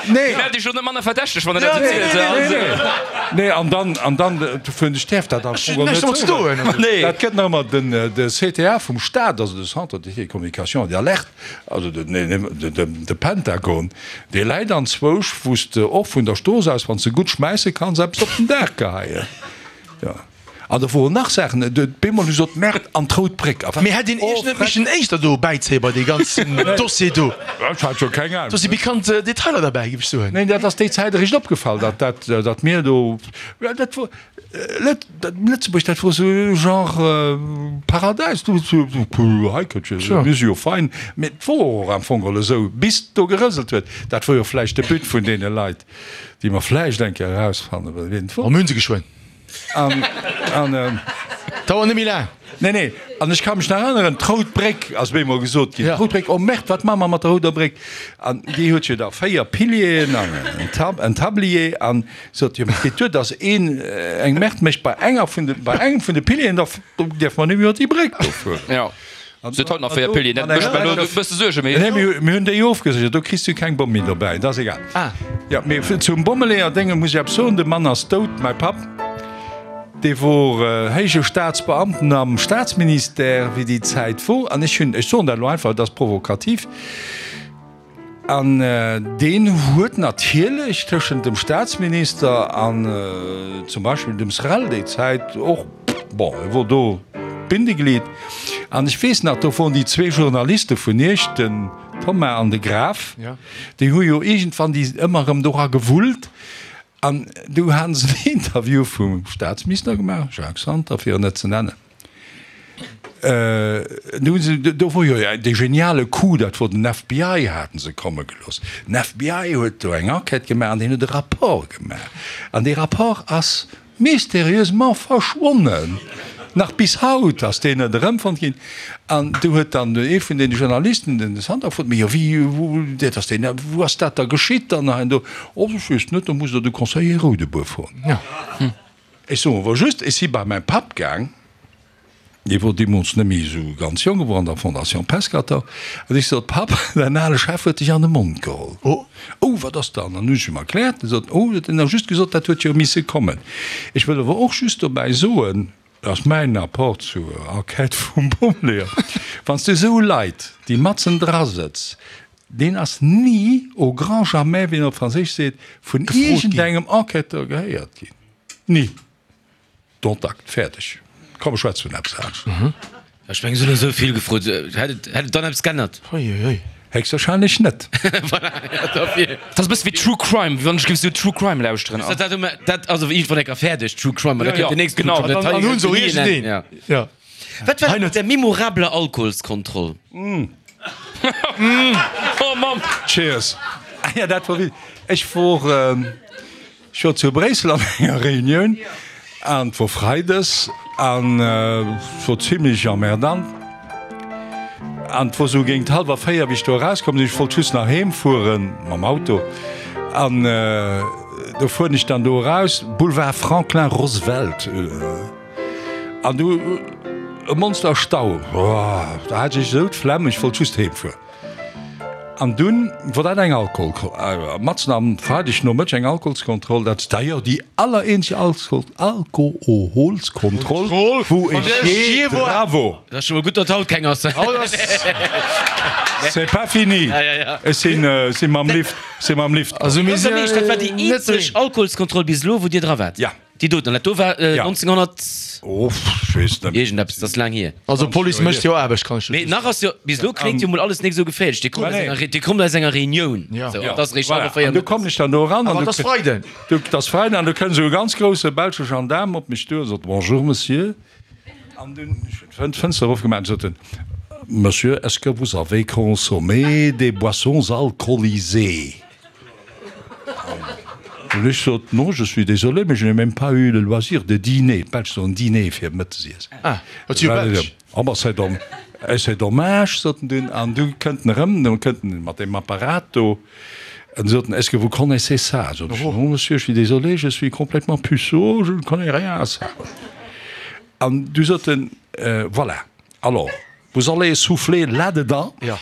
Nee. Dir maacht Iech elo net manner verdächteg, wann Der dat esou zielt. Nee, nee, nee. Nee, an dann, an dann, dofir hunn ech däerf dat am Fong och net soen. Dat gëtt nach ëmmer den, de C T A vum Staat, also de Centre de Télécommunication et d'Alerte, also de, de, de Pentagon, dee läit anzwousch, wou s de och vun der Strooss aus, wann s de gutt schmäisse kanns, eppes op den Daach geheien. Jo. An do woren nach Saachen, bemol hu sot, Merde, an d'Rout Bréck. A wat? Mee hätt een Iech net missen éischter do bäizéie bei dee ganzen Dossier do? Ech hat jo keng Ahnung. Do si pikant Detailer derbäi, géif ech soen. Neen, dat ass déi Zäit eréischt opgefall, datt dat, datt mir do, dat wor, Lëtzebuerg, dat wor esou e Genre Paradäis. Du, hei kënnt jo, mir si jo fein. Mee et wor och am Fong geholl esou, bis et do gerëselt huet. Dat wor jo vläicht de But vun deene Leit, déi mer vläicht eng Kéier erausfanne wien et wor. Oh, mir hu se geschwënn. An, an. Dauert net méi laang. Nee, nee, an ech ka mech nach erënneren, d'Rout Bréck ass bemol gesot ginn. D'Rout Bréck, oh Merde, wat maache mer mat der Rouder Bréck? An déi huet jo da véier Pilieren an en Tab, en Tablier an sot, jo, mee et geet duer, dass een eng Merde mécht bei enger vun de, bei engem vun de Pilieren, da däerfe mer net méi iwwer déi Bréck do fueren. Jo, se huet haut nach véier Pilieren, dat mécht mer elo e bësse Suergen, mee. Nee, mir, mir hunn déi ofgeséchert, do kriss du keng Bomm méi dobäi, dat ass egal. Ah. Jo, mee zum Bommeleeër-Dénge muss ech eppes soen, De Mann ass dout, mäi Papp. Dee wor héije Staatsbeamten am Staatsministère, wéi déi Zäit wor. An ech hunn, ech soen dat elo einfach, et ass provokativ, an deen huet natierlech tëschent dem Staatsminister an zum Beispill dem Srel déi Zäit och, bon, e wor do d'Bindeglied. An ech weess nach, do woren déi zwee Journaliste vun Iech, den Thomas an de Graf, déi hu jo iergendwann déi ëmmer erëm dora gewullt. An du haten se en Interview vum Staatsminister gemaach, Jacques Santer, fir en net ze nennen. Du hunn se, do wor jo dee geniale Coup, dat wor den F B I haten se komme gelooss. Den F B I huet do eng Enquête gemaach an deen huet e Rapport gemaach. An dee Rapport ass Mysterieusement verschwonnen. Nach bis haut ass deen net erëmfonnt ginn. An du huet dann ee vun deene Journalisten den Santer gefrot, Mee jo, wéi, wou, dat ass deen, wou ass dat da geschitt dann hei an do? Oh, ech weess net, do musst Der de Conseiller Roudebour froen. Ech soen awer just, ech si bei mäi Papp gaang. Dee wor deemools net méi esou ganz jonk, e wor an der Fondation Pescator, an ech sot, Papp, däin ale Chef huet dech an de Mond geholl. Oh, wat ass dann? An hunn ech him erkläert. E sot, Oh, huet en da just gesot, dat huet jo misse kommen. Ech wëll awer och just dobäi soen, dat ass mäin Apport zur Enquête vum Bommeleeër, Wann s de esou Leit, déi matzen dra sëtz, deen ass ni, au grand jamais, wéi een op Franséisch seet, vun iergendengem Enquêteur gehéiert ginn. Ni. Dont acte. Fäerdeg. Komm, ech schwätze vun eppes anescht. Ech mengen, se hunn esou vill gefrot. Hätt et, hätt et dann eppes g'ännert? Uiuiui. Héchstwahrscheinlech net. Voilà, ja, dofir. Dat ass e bësse wéi True Crime, wéi wann ech géif esou True Crime lauschteren. Dat, dat, dat ass awer iergendwann eng Kéier fäerdeg, True Crime, ma da kënnt den nächsten Genau. True Crime. Dat An hei hunn se och huet ni en Enn. iergendeen. Ja. Ja. Wat war Hei dat net. mat der memorabler Alkoholskontroll? Oh Mamm! Cheers. Ah ja, dat wor wéi, ech wor. Ech wor zu Bréissel an enger Reunioun an et wor Freides an et wor zimlech emmerdant an et wor sou géint hallwer véier wéi ech do erauskomm sinn. Ech wollt just nach heem fueren mam Auto an do fueren ech dann do eraus, Boulevard Franklin Roosevelt an du e Monster Stau, da hat ech esou d'Flemm, ech wollt just heem fueren. An dunn wor dat eng Alkohol, matzen am Freideg Nomëtteg eng Alkoholskontroll, dat ass d'ailleurs déi allereenzeg Alkoholskontroll, wou ech je, bravo! Dat ass scho mol gutt, datt haut keng ass. C'est pas fini, ech si mam Lift, si mam Lift komm. Dat war déi eenzeg Alkoholskontroll bis elo, wou Dir dra waart? Ja. Déi doten, dat do war nonzénghonnert. Oh, ech weess net. Iergendeppes, dat ass laang hier. Also d'Police mécht jo Aarbecht, kann ech Mee nach ass jo, bis elo kléngt jo mol alles nik esou geféierlech. Dir kommt aus enger, Dir kommt aus enger Reunioun. Ja. Sou, an et ass eréischt hallwer véier An du mëttes. kommen ech dann do eran. Awer et ass Freiden. Du, et ass Freiden an du kënnt esou e ganz grousse belsche Gendaarm op mech duer a sot, Bonjour, Monsieur. An dunn, ech hunn d'Fënster erofgemaach, an sot en, Monsieur, est-ce que vous avez consommé des boissons alcoolisées? An ech sot, Non, je suis désolé, mais je n'ai même pas eu le loisir de dîner. D'Belsch soen dîner fir Mëttesiess. Ah, dat si jo Belsch. Oh, ma c'est dom, c'est dommage, sot en dunn. An du kënnt en erëm, du kënnt en mat deem Apparat do. An sot en, Est-ce que vous connaissez ça? Sot ech, Non, monsieur, je suis désolé, je suis complètement puceau, je ne connais rien à ça. An du sot en, Voilà, alors, vous allez souffler là-dedans. Ja.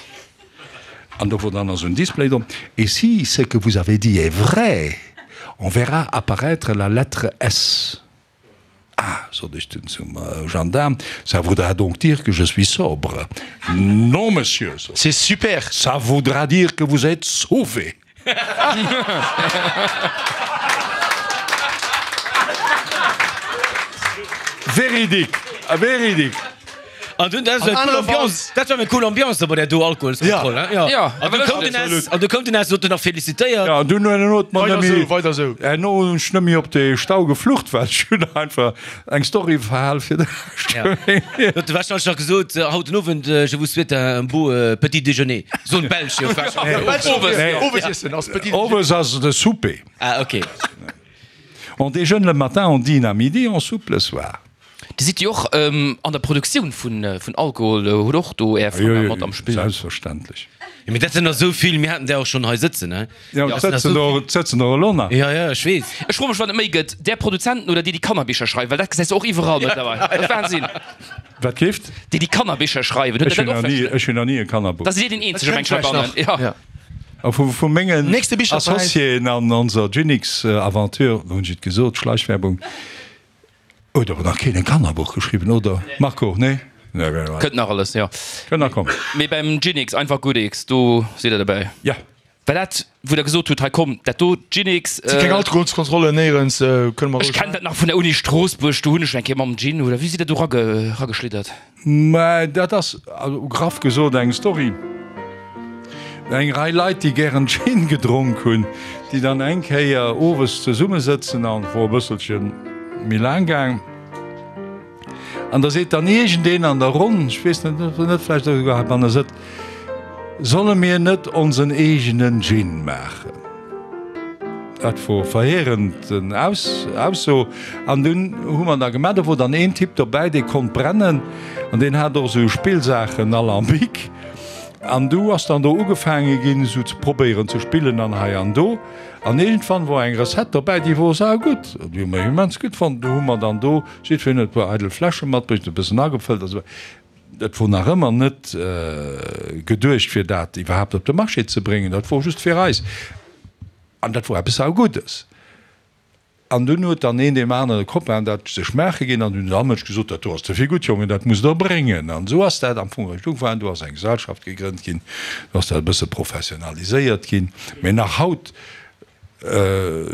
An do wor dann esou en Display drop, Et si ce que vous avez dit est vrai, on verra apparaître la lettre S. Ah, sot ech dunn zum Gendaarm, ça voudra donc dire que je suis sobre. Non, monsieur, sot en, C'est super! ça voudra dire que vous êtes sauvé. Véridique, véridique. An dunn, dat war eng cool Ambiance, dat war eng cool Ambiance do bei där do Alkoholskontroll, hein? Ja. Ja. An du koum den S, an du koum den S, huet en nach felicitéiert. Ja, an dunn herno huet mer Weider nëmme, sou, weider sou. herno hunn ech nëmme op de Stau geflucht, well ech hunn einfach eng Story verhal fir de Rescht. Ja. Huet de wahrscheinlech nach gesot, haut den Owend, je vous souhaite un beau petit déjeuner. Sou en Belsch jo wahrscheinlech. Owes, Nee. Owesiessen ass petit déjeuner. Owes ass de Souper. Ah, ok. On déjeune le matin, on dîne à midi, on soupe le soir. Dir sidd jo och an der Produktioun vun Alkohol, hutt och do Är Fanger mat am Spill. Selbstverständlech. Jo, mee dat sinn der esou vill, mir haten där och schonn hei sëtzen, ne? Jo, et sëtzen der, et sëtzen der elo nach. Jo, jo, ech weess. Ech froe mech, wat et méi gëtt, där Produzenten oder déi, déi Kannerbicher schreiwen, well dat gesäis de och iwwerall mëttlerweil. Dat ass Wahnsinn. Wat keeft? Déi, déi Kannerbicher schreiwen. Hutt Ech Der hunn dat nach och ni, festgestallt? ech hunn nach ni e Kannerbuch. Da sidd Dir deen eenzege, Dat mengt kënnt heibannen. vläicht nach. Jo. A vu, vu mengen Nächste Bicherpräis. Associéen an onser Ginix-Aventure, hunn ech et gesot, Schleichwerbung, Huet awer nach keen e Kannerbuch geschriwwen, oder Marco? Nee? Nee, nee, nee. Kënnt nach alles, jo. Kënnt nach kommen. Mee beim Ginix, einfach Goodix, do sidd der dobäi. Ja. War dat, wou der gesot hutt, hei komm, dat do, Ginix. Si keng Alkoholskontrollen néierens, kënne mer Ech roueg kennen dat nach vun der Uni Stroossbuerg, do hunn ech eng Kéier mam Gin, oder wéi sidd der do erageschlittert? Mä dat ass, also graff gesot, eng Story. Eng Rei Leit, déi gären Gin gedronk hunn, déi dann eng Kéier owes zesummesëtzen, an et wor e bësselche méi laang gaang, an da seet dann iergendeen an der Ronn, ech weess net, ob en net vläicht esouguer heibanne sëtzt, Solle mir net onsen eegenen Gin maachen? Dat wor verheerend Ausso. An dunn hu mer da gemaach, do wor dann een Typ dobäi, dee konnt brennen an deen hat och esou Spillsaachen, Alambic. An du ass dann do ugefaange ginn, esou ze probéieren ze spillen an hei an do. An iergendwann wor eng Recette dobäi, déi wor saugutt, déi hu mer immens gutt fonnt. Du hu mer dann do jiddwereen huet e puer eidel Fläsche matbruecht, e bëssen agefëllt a sou. Et wor nach ëmmer net geduecht, fir dat iwwerhaapt op de Marché ze bréngen, dat wor just fir eis. An dat wor eppes sauguddes. An dunn huet dann een deem anere Copain dat sech maache ginn an dunn huet all Mënsch gesot, dat do ass ze vill gutt, Jongen, dat musst Der bréngen. An esou ass dat am Fong eréischt ugefaangen. Do ass eng Gesellschaft gegrënnt ginn, do ass dat e bësse professionaliséiert ginn. Mee nach haut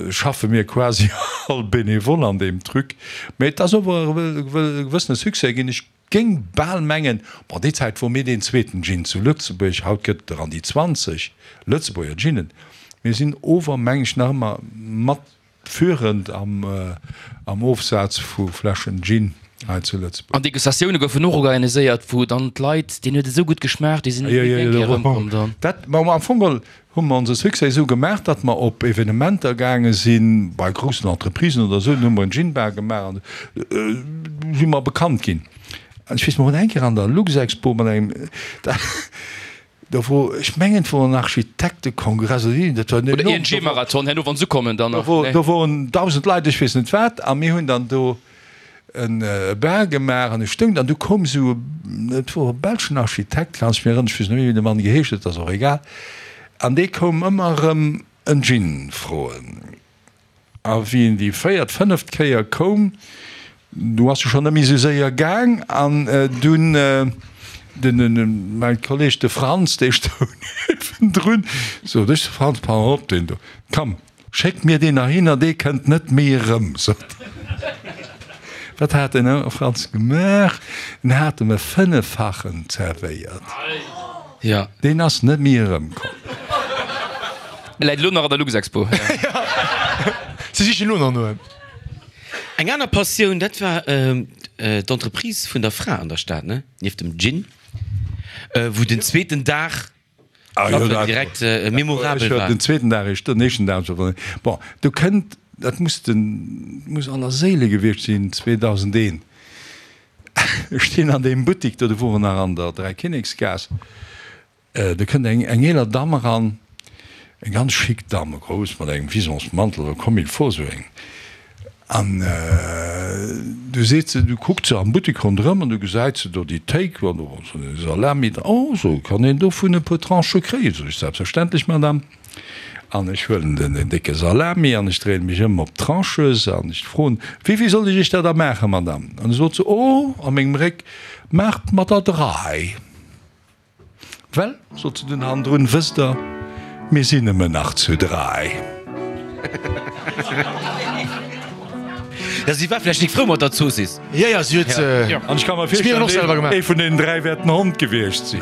schaffe mir quasi all bénévole an deem Truc. Mee et ass ower e gewëssene Succès ginn. Ech géing bal mengen, bon, déi Zäit wor mir deen zweeten Gin zu Lëtzebuerg, haut gëtt et der an déi zwanzeg Lëtzebuerger Ginen. Mir sinn ower, meng ech, nach ëmmer mat führend am am Ofsaz vu Fläschen Gin hei zu Lëtzebuerg. An Degustatioune goufen och organiséiert, wou dann d'Leit, deenen huet et esou gutt geschmaacht, déi sinn net méi eng Kéier erëmkomm dann. Dat, ma am Fong geholl hu mer onse Succès esou gemaach, datt mer op Evenementer gaange sinn, bei groussen Entreprisen oder esou, dann hu mer en Gin-Bar gemaach an du si mer bekannt ginn. An ech weess, mer hunn eng Kéier an der Luxexpo mat engem, Do wor, ech mengen et wor en Architektekongress oder iergend, dat war Oder enorm, I N G Marathon, herno wann se ukommen dann nach, do nee. woren dausend Leit, ech weess net wat, a mir hunn dann do e Bar gemaach an ech stoung dann, du koum esou, et wor e belschen Architekt, kann ech mir erënneren, ech weess net méi wéi de Mann geheescht huet, ass och egal, an dee koum ëmmer erëm en Gin froen. A wéi en déi véiert, fënneft Kéier koum, du ass e schonn net méi esou séier gaang. An dunn den, mäi Kolleg, de Franz, dee stoung niewendrun, sot ech, Franz, pass op, deen do, komm, schéck mir deen heihinner, dee kënnt net méi erëm, sot en. Wat hat den Franz gemaach? En hat em e Fënneffachen zerwéiert. Ja. Deen ass net méi erëmkomm. E läit elo nach an der Luxexpo. Si sichen elo nach no em. Eng aner Passioun, dat war d'Entreprise vun der Fra an der Stad, ne? Nieft dem Gin, wou den zweeten Dag schaffen direkt memorabel war. Den zweeten Dag, den éischten Dag, bon, do kënnt, dat muss den, muss Allerséile gewiescht sinn, zweedausendeent. Ech stinn an deem Buttik do, do wor en nach an der Dräikinneksgaass, do kënnt eng eng eeler Damm eran, eng ganz chic Damm, grouss, mat engem Visonsmantel, comme il faut, esou eng. An du seet se, du kuckt se am Buttik ronderëm an du gesäit se do déi Théik an do ass esou eng Salami dran. Oh, so, kann een dovun e puer Tranchë kréien? Sot ech, selbstverständlech, Madame. An ech huelen den décke Salami an ech dréine mech ëm op d'Tranches an ech froen, Wéivill soll ech iech der da maachen, Madame? An du sot se, Oh, a mengem Réck, maacht mer der dräi. Well, sot se dunn hannendrun, wësst der, mir sinn nëmmen nach zu dräi. Ja, si war vläicht nik frou mat der Zoossiss. Ja, ja, si huet se. An ech ka mer virstellen, ee vun deenen dräi wäert den Hond gewiescht sinn.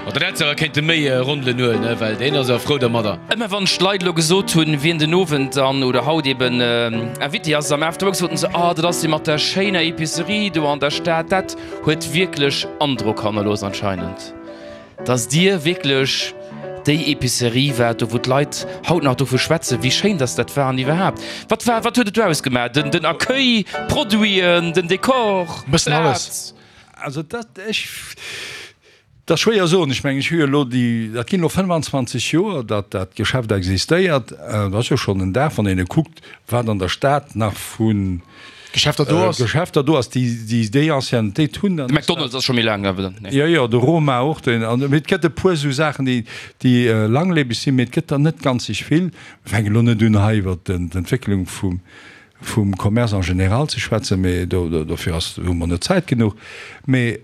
Ma den hätt se awer kéinte méi Rondelen huelen, ne, well deen ass awer frou dermadder. Ëmmer wann ech d'Leit elo gesot hunn, wien den Owend dann oder haut eben Invité ass am Afterwork, soten se, Oh, dat ass dee mat der schéiner Epicerie do an der Stad. Dat huet wierklech Androck hannerlooss anscheinend, dass Dir wierklech déi Epicerie waart, do wou d'Leit haut nach dovu schwätzen, wéi schéin dass dat war an iwwerhaapt. Wat war, wat huet et do ausgemaach? Den, den Accueil, d'Produiten, den Dekor, Bëssen alles. d'Plaz? Also dat, ech. Dat ass schwéier soen. Ech mengen, ech hu jo elo déi, dat ginn elo fënnfanzwanzeg Joer, datt dat Geschäft existéiert. Dat ass jo schonn en Dag, wann een e kuckt, wat an der Stad nach vu Geschäfter do ass. Geschäfter do ass, déi déi déi Anciennetéit hunn. De McDonald's ass scho méi laang awer dann. Jo, jo, de Roma och. Deen, an et gëtt e puer esou Saachen, déi déi langlebeg sinn, mee et gëtt der net ganzeg vill. Mir fänken elo net un, hei iwwer d'Entwécklung vum vum Commerce en général ze schwätzen, mee do dofir ass hu mer net Zäit genuch. Mee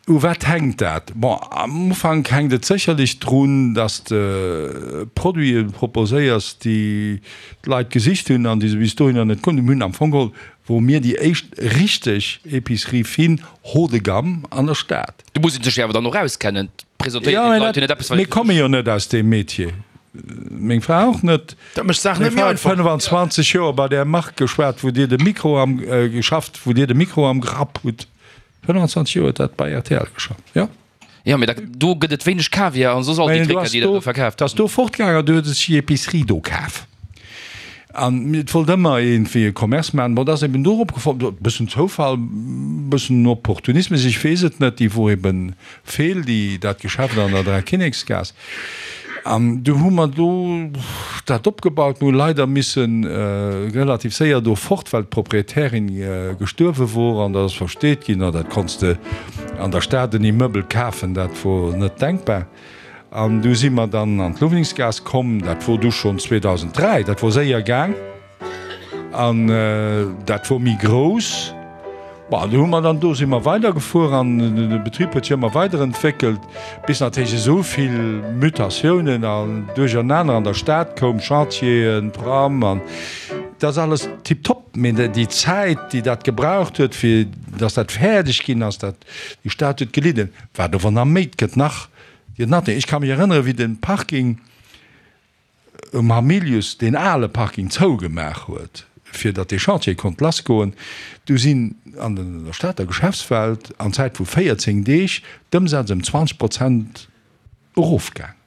U wat hänkt dat? Bon, am Ufank hänkt et sécherlech drun, dass de Produite proposéiers, déi d'Leit gesicht hunn an déi se bis dohinner net konnt. Mir hunn am Fong geholl, wore mir déi éischt richteg Épicerie fine haut de gamme an der Stad. Do muss ee sech jo awer dann och auskennen. Et presentéiert Jo, een mä d'Leit jo dat, net eppes, wat mir komme jo net aus deem Metier, meng Fra och net. Dat mécht d'Saach Meng net méi Fra huet einfach. fënnfanzwanzeg Joer bei där Mark geschwat, wou Dir de Mikro am, geschafft, wou Dir de Mikro am Grapp hutt. fënnfanzwanzeg Joer huet dat bei R T L geschafft, jo. Jo, mee da, do gëtt et wéineg Kaviar an soss all déi Mä du Tricker, ass déi der do, do verkaaft 't ass do fortgaangen an du huet e sech déi Epicerie do kaf. An et wollt ëmmer iergendwéi e Commerce maachen. Bon, dat ass eben dorop gefall, e bëssen Zoufall, e bëssen Opportunismus, ech weess et net, déi wor eben feel, déi, dat Geschäft an der Dräikinneksgaass. An du hu mer do dat opgebaut. Mir hu leider misse relativ séier do fort, well d'Proprietärin gestuerwe wor. An dat ass versteet ginn, dat konns de an der Stad en Immeubel kafen, dat wor net denkbar. An du si mer dann an d'Luweningsgaass komm. Dat wor du schonn zweedausenddräi, dat wor séier gaang. An dat wor méi grouss. Bon, du hu mer dann, do si mer weidergefuer an de Betrib huet sech ëmmer weiderentwéckelt, bis natierlech esou vill Mutatiounen an Duerchernaner an der Stad koum, Chantieren, Tram an dat ass alles tiptop. Mee déi Zäit, déi dat gebraucht huet, fir datt dat fäerdeg ginn ass, dat, déi Stad huet gelidden. Wat ower nach méi, et gëtt nach, gëtt nach, ech ka mech erënnere wéi de Parking, um Hamilius deen ale Parking zougemaach huet, fir datt dee Chantier konnt lassgoen, du sinn an der Stater Geschäftswelt an Zäit vu véierzéng Deeg d'Ëmsätz ëm zwanzeg Prozent erofgaang.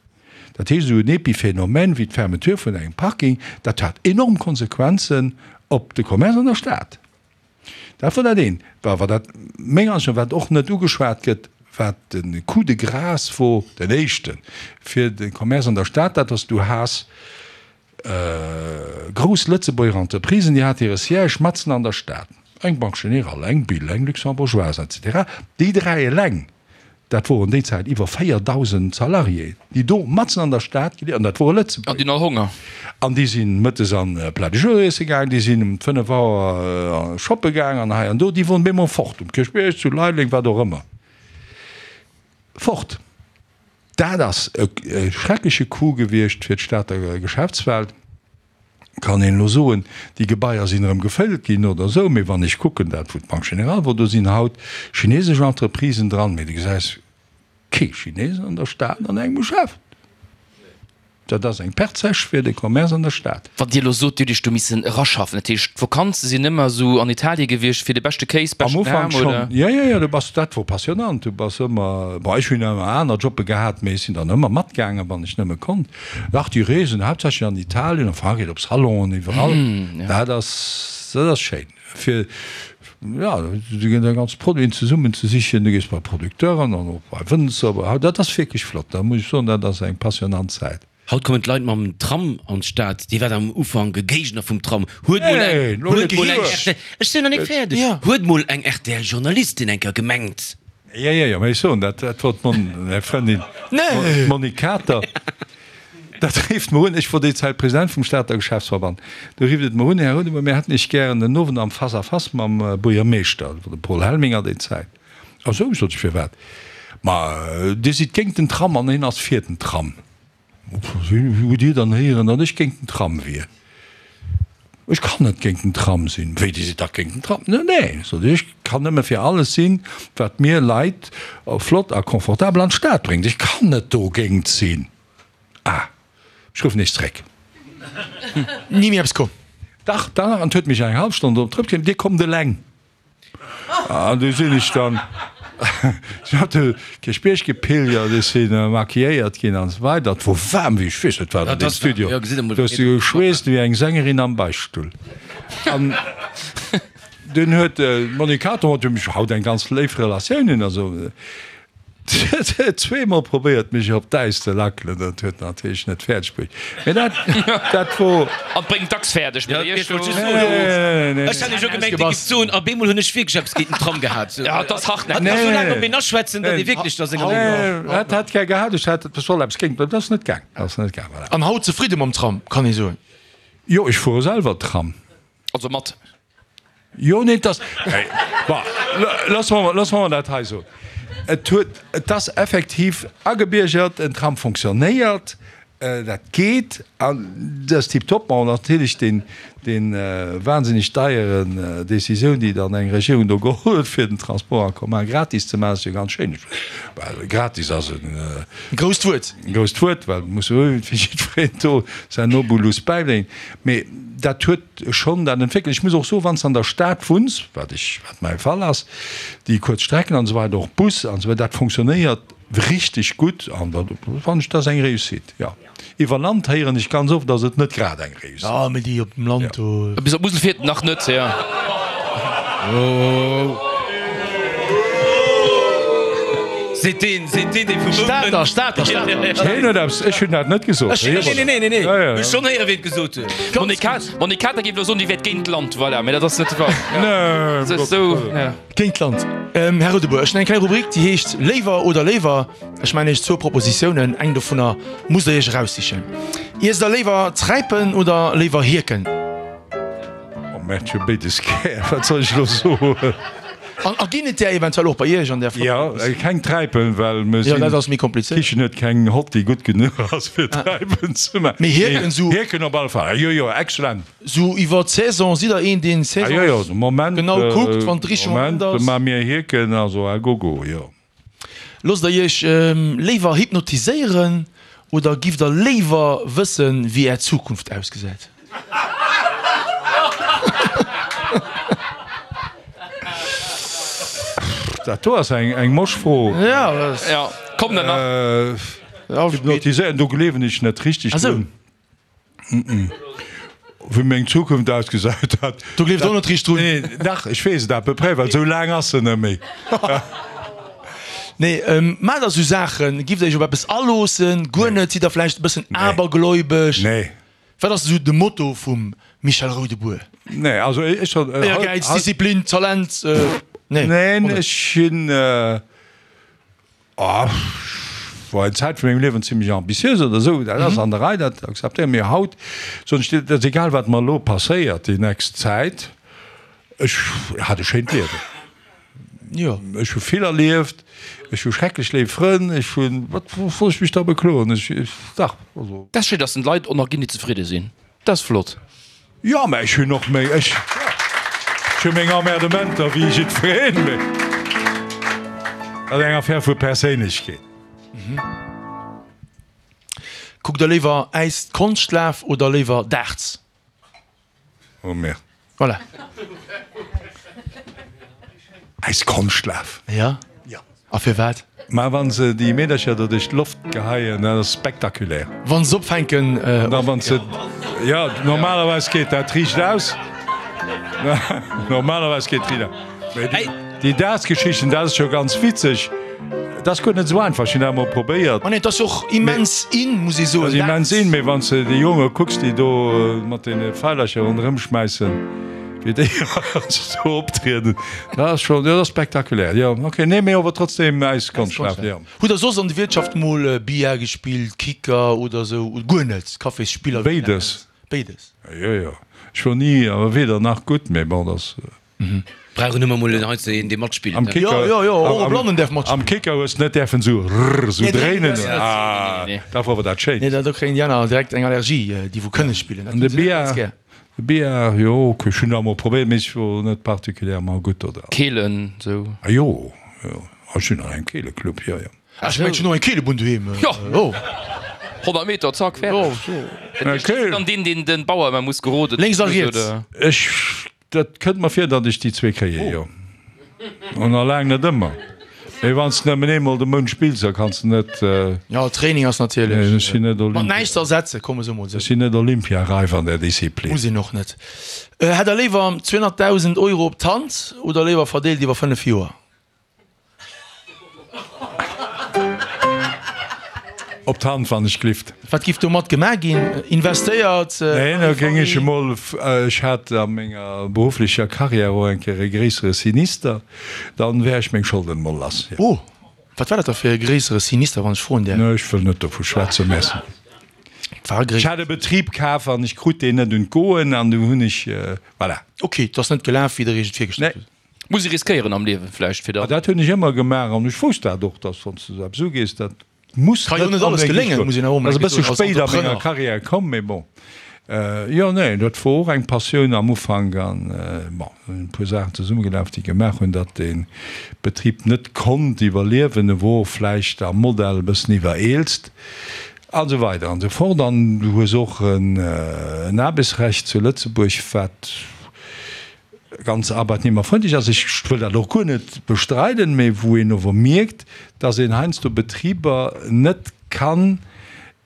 Dat heescht, esou en Epiphénomène wéi d'Fermeture vun engem Parking, dat hat enorm Konsequenzen op de Commerce an der Stad. Dat wor dat eent. Wa dat, meng Ansicht no, wat och net ugeschwat gëtt, wat de Coup de grâce wor, den éischten, fir de Commerce an der Stad, dat ass, du has grouss Lëtzebuerger Entreprisen, déi hat hire Siège matzen an der Stad, eng Banque Générale, eng Bill, eng Luxembourgeoise, et cetera. Déi dräi eleng, dat woren déi Zäit iwwer véierdausend Salariéen, déi do matzen an der Stad gelieft, an dat wore An Lëtzebuerger. déi hunn all Honger. An déi si mëttes an Plat du jour iesse gaang, déi sinn um fënnef Auer shoppe gaang an hei an do. Déi woren bemol fort, um Kierchbierg, zu Leideleng, wat och ëmmer. Fort. Dat ass e schreckleche Coup gewiescht fir d'Stater Geschäftswelt. Kann een elo soen, déi Gebaier sinn erëm gefëllt ginn oder esou, mee wann ech kucken, dat wou d'Banque Générale wor, do sinn haut chinesesch Entreprisen dran, mee du gesäis kee Chines an der Stad an engem Geschäft. Dat ass eng Perte sèche fir de Commerce an der Stad. Wann Dir elo sot, Dir hutt Iech do missen eraschaffen, dat heescht d'Vakanze sinn ëmmer esou an Italie gewiescht fir de beschte Kéis, Am beschten Ufank Ham, schonn, oder? jo, jo, jo, du bass, dat wor passionnant, du bass ëmmer, bon, ech hunn ëmmer aner Jobbe gehat, mee ech sinn dann ëmmer matgaangen, wann ech nëmme konnt. Dach, déi Reesen, haaptsächlech an Italien, a Frankräich, op Salonen, iwwerall, dat ass, dat ass schéin, fir, jo, déi ganz Produiten zesummen ze sichen, du gees bei Producteuren an och bei Wënzer, bei, dat ass wierklech flott, da muss ech soen, dat ass eng passionnant Zäit. Haut kommen d'Leit mam Tram an d'Stad. Dir waart am Ufank e Géigner vum Tram. Huet mol eng, huet mol eng R T L, ech sinn nach nik fäerdeg, huet mol eng R T L-Journalistin eng Kéier gemengt. Jo, jo, jo, mä ech soen, dat, dat wor d'Mon, meng Frëndin, d'Monique Kater. Dat rifft mer un, ech wor déi Zäit President vum Stater Geschäftsverband, do rifft et mer un, Här Rodemer, mir hätten Iech gären den Owend am Face à face mam Buergermeeschter, dat wor de Paul Helminger déi Zäit. A sou, sot ech, firwat? Ma Dir sidd géint den Tram an hien ass fir den Tram. Wéi hutt Dir dann héieren, datt ech géint den Tram wier? Ech kann net géint den Tram sinn. Wéi, Dir sidd dach géint den Tram? Nee, nee, sot ech, ech kann nëmme fir alles sinn, wat mir Leit flott a confortabel an d'Stad bréngt. Ech kann net dogéint sinn. Ah, ech ruffen Iech zréck. Ni méi eppes komm? Dach, dach, an et huet mech eng hallef Stonn drop zréckginn, Dir kommt eleng. An du sinn ech dann op de Kierchbierg gepilgert, ech si maquilléiert ginn an esou weider. Et wor waarm wéi ech weess net wat an deem Studio. Du hues geschweesst wéi eng Sängerin am Beichtstull. An dunn huet d'Monique Kater, mat deem ech haut eng ganz léif Relatioun hunn, also Si huet zweemol probéiert mech op d'Äis ze lackelen, dat huet natierlech net fäerdeg bruecht. Mee dat, dat wor. An bréngt dacks fäerdeg, mee Iech do. Ech hat jo gemengt, Dir gift soen, op eemol hunn ech wierklech eppes géint den Tram gehat. Ja, et ass hartnäckeg. Hatt ka sou laang op een aschwätzen, datt ee wierklech da senger Meenung ass. Hat, hat gär gehat, ech hat et soll eppes géint, dat ass net gaang, dat ass net gaang, voilà. An haut zefridde mam Tram, kann ee soen? Jo, ech fuere selwer Tram. Also mat. Jo, nee, et ass, bon, loosse mer, loosse mer dat hei soen. Et huet, et ass effektiv agebiergert, den Tram fonctionnéiert, dat geet an dat ass tiptop. Bon, natierlech deen, deen wahnsinnig deieren Décisioun, déi dann eng Regierung do geholl huet, fir den Transport en commun gratis ze maachen, ass jo ganz schéin. Well gratis ass en Grousst Wuert. grousst Wuert, well et muss jo fir jiddwereen do säin Obolus bäibréngen. Mee dat huet schonn dat entwéckelt. Ech muss och soen, wann s de an der Stad wunns, wat ech, wat mäi Fall ass, déi kuerz Strecken an esou weider, och Bus an esou weider, dat fonctionnéiert richteg gutt an dat fannen ech, dat ass eng Réussite, jo. Iwwer Land héieren ech ganz oft, ass et net grad eng Réussite. Jo, mee déi op dem Land do. Bis op d'Musel fiert en nach net, jo. Seet deen, seet deen, dee vu wou kënnt. Stater, Stater, Stater. Hien huet eppes, ech hunn dat net gesot. Ech, nee, nee, nee, nee, nee. Ech schonn héieren, wien et gesot huet. D'Monique Kater géif elo soen, déi wäert géint d'Land, voilà, mee dat ass net de Fall. Nee, Se ass esou, ja. Géint d'Land. Här Rudebour, ech hunn eng kleng Rubrik, déi heescht Léiwer oder léiwer. Ech maachen Iech zwou Propositiounen, eng dovunner musst Der Iech eraussichen. Iesst Der léiwer Träipen oder léiwer Hierken? Oh merde, ech hu béides gär, wat soll ech elo soen? An a ginn et där eventuell och bei Iech an där flotter Jo, keng Träipen, well mir Jo, sinn, dat ass méi komplizéiert. d'Kichen huet keng Hott, déi gutt genuch ass fir Träipen ze maachen. Mee Hierken sou. Hierken op alle Fall, jo, jo, excellent. Sou iwwer d'Saison, sidd Der een, deen Ah jo, jo, saisons de Moment, genau kuckt, wann de richtege Moment Moment ass? maache mir Hierken, also à gogo, jo. Loosst Der Iech léiwer hypnotiséieren oder giff Der léiwer wëssen, wéi Är Zukunft ausgesäit? Dat do ass eng mosch Fro. Ja, komm dann nach. Hypnotiséieren, do gleewen ech net richteg drun. Wéi meng Zukunft ausgesäit, dat. Do gleeft och net richteg drun. Nee, dach, ech weess et à peu près, well esou laang ass se net méi. Nee, maacht der esou Saachen? Giff der iech op eppes aloossen? Guer net? Sidd der vläicht e bëssen abergläubesch? Nee. Wat ass esou de Motto vum Michel Roudebour? Nee, also ech soll. Éiergäiz, Disziplin, Talent? Nee. Neen, ech sinn, oh, war eng Zäit vu mengem Liewen zimmlech ambitiös oder esou, dat ass an der Rei, dat akzeptéieren. Mee haut soen ech dir, et ass egal wat mer elo passéiert déi nächst Zäit, ech hat e schéint Liewen. Jo. Ech hu vill erlieft, ech hu schrecklech léif Frënn, ech hunn, wat soll ech mech da bekloen? Ech, dach, also. Dat ass schéin, dass den Leit och nach ginn, déi zefridde sinn. Dat ass flott. Jo, mä ech hunn och meng, ech hu meng Emmerdementer wéi jiddwereen, mä dat ass eng Affär vu Perséinlechkeet. Kuckt der léiwer Äis Konschtlaf oder léiwer Darts? Oh merde. Voilà. Äis Konschtlaf. Ja? Ja. A firwat? Ma wann se déi Meedercher do duerch d'Loft geheien, dat ass spektakulär. Wann se opfänken. An da wann se, jo, normalerweis geet dat riicht aus. Normalerweis geet riicht aus. Mee déi, déi Darts-Geschichten, dat ass scho ganz witzeg. Dat ass guer net esou einfach, ech hunn dat emol probéiert. Ma nee, et ass och immens in, muss ee soen. Et ass immens in, mee wann s de déi Jonge kucks, déi do mat deene Feilercher ronderëm schmäissen, wéi déi do optrieden, dat ass schonn, jo, dat ass spektakulär, jo, ok. Nee, mee ower trotzdem äis Konschtschlaf, jo. Hutt der soss an de Wiertschaft mol Billard gespillt, Kicker oder esou, oder guer net, Cafésspiller, wéi een dat Béides. nennt? Béides. Jo, jo. Ech wor ni, awer weder nach gutt, mee bon, dat ass. Brauchen ëmmer mol en heiansdo een dee matspillt. Am Kicker, Jo, jo, jo, och e Blannen däerf matspillen. Am Kicker hues de net däerfen esou rrr esou Nee, dréinen. dréinen däerfs de net. Ah, Nee, nee. dat wor awer dat Schéinst. Nee, da kréien déi aner direkt eng Allergie, déi wou kënne spillen. Dat An de hunn se net ganz Billard, gär. De Billard, jo, ok, ech hunn dat emol probéiert, mee ech wor net particulièrement gutt do dran. Keelen, sou? Ah jo, jo, ech sinn an engem Keeleclub, jo, jo. Ah, ech mengen, ech hunn och eng Keelebunn doheem. Jo, honnert Meter, zack, fäerdeg. Dat heescht, du bass dann deen, deen den Bauer ëmmer muss geroden. Lénks a riets. Ech, dat kënnt mer vir, datt ech déi zwee kréien, jo. An a laang net ëmmer. Mee wann s de nëmmen eemol de Mount spills, da kanns de net. Jo, Training ass natierlech Ech sinn net mat näischt ze ersetzen, komm esou mol esou. Ech sinn net olympiareif an där Disziplin. Muss een och net. Hätt der léiwer zweehonnertdausend Euro op d'Hand oder léiwer verdeelt iwwer fënnef Joer? Op d'Hand, wann ech glift. Wat giff domat gemaach ginn? Investéiert? Neen, da géing ech emol, ech hat a menger berufflecher Carrière och eng Kéier e gréissere Sinister, dann wär ech meng Scholden emol lass, jo. Oh, wat war dat da fir e gréissere Sinister, wann ech froen däerf? Nee, ech wëll net dovu schwätzen, merci. War e Ech hat e Betrib kaf an ech krut deen net un d'Goen an du hunn ech, voilà. Ok, et ass net gelaf, wéi der iech et virgestallt Nee. hutt. Muss ee riskéieren am Liewen vläicht, fir Ma dann. dat hunn ech ëmmer gemaach an ech wousst dat och, dass wann s de esou eppes ugees, dat Muss Ka jo net alles geléngen, muss een awer och mol eng Ass e bësse Kéier soen, als spéit a menger Entrepreneur. Carrière komm, mee bon. Jo, nee, dat wor och eng Passioun am Ufank an bon, do sinn e puer Saachen zesummegelaf, déi gemaach hunn, datt dee Betrib net konnt iwwerliewen. E wor vläicht am Modell e bëssen iwwereelzt an esou weider an esou fort. An du hues och en Aarbechtsrecht zu Lëtzebuerg, wat ganz arbeitnehmerfreundlich ass, ech wëll dat och guer net bestreiden, mä wou een ower mierkt, dass een heiansdo Betriber net kann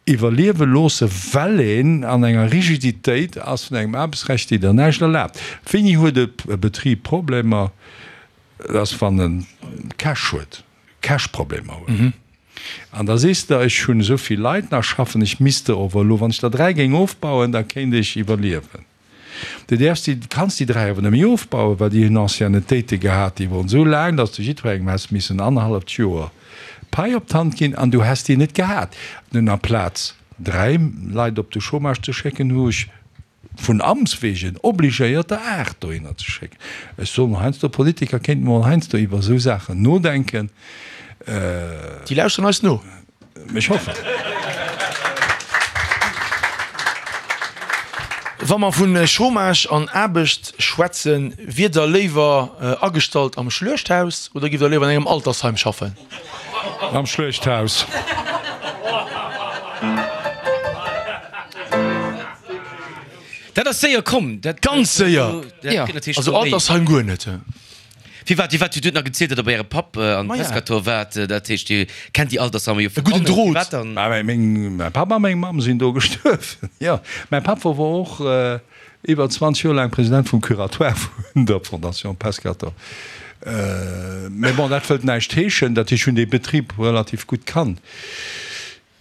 iwwerliewe loosse, well een an enger Rigiditéit ass vun engem Aarbechtsrecht, déi der näischt erlaabt. Wéini huet e Betrib Problemer? Dat ass, wann e Cash huet, Cash-Problemer huet. An da sees de, ech hunn esou vill Leit nach schaffen, ech misst der ower elo, wann ech der dräi géing ofbauen, da kéint ech iwwerliewen. Du däerfs déi, kanns déi dräi awer net méi ofbauen, well déi hunn Anciennetéite gehat, déi woren esou laang, datt s de jiddwerengem häss missen annerhalleft Joer Pai op d'Hand ginn, an du häss déi net gehat. Nun, amplaz dräi Leit op de Chômage ze schécken, hu ech vun Amts wegen obligéiert, der aacht dohinner ze schécken. Ech soen heiansdo, Politiker kéinten mol heiansdo iwwer esou Saachen nodenken. Déi lauschteren eis no. Ech hoffen. Wa mer vu Chômage an Aarbecht schwätzen, wiert Der léiwer agestallt am Schluechthaus oder giff Der léiwer an engem Altersheim schaffen? Am Schluechthaus. Dat ass séier komm. Ganz séier! Also Altersheim guer net. Firwat, firwat, Dir hutt nach gezielt, datt Der bei Ärem Papp an Pescator waart. Dat heescht, Dir kennt déi Altersheimer jo E gudden vun bannen. Drot. Firwat dann? Mä meng, mäi Papp a meng Mamm sinn do gestuerwen, jo. Mäi Papp wor wor och iwwer zwanzeg Joer laang President vum Curatoire vun der Fondation Pescator. Mä bon, dat wëllt näischt heeschen. Dat heescht, ech hunn dee Betrib relativ gutt kannt.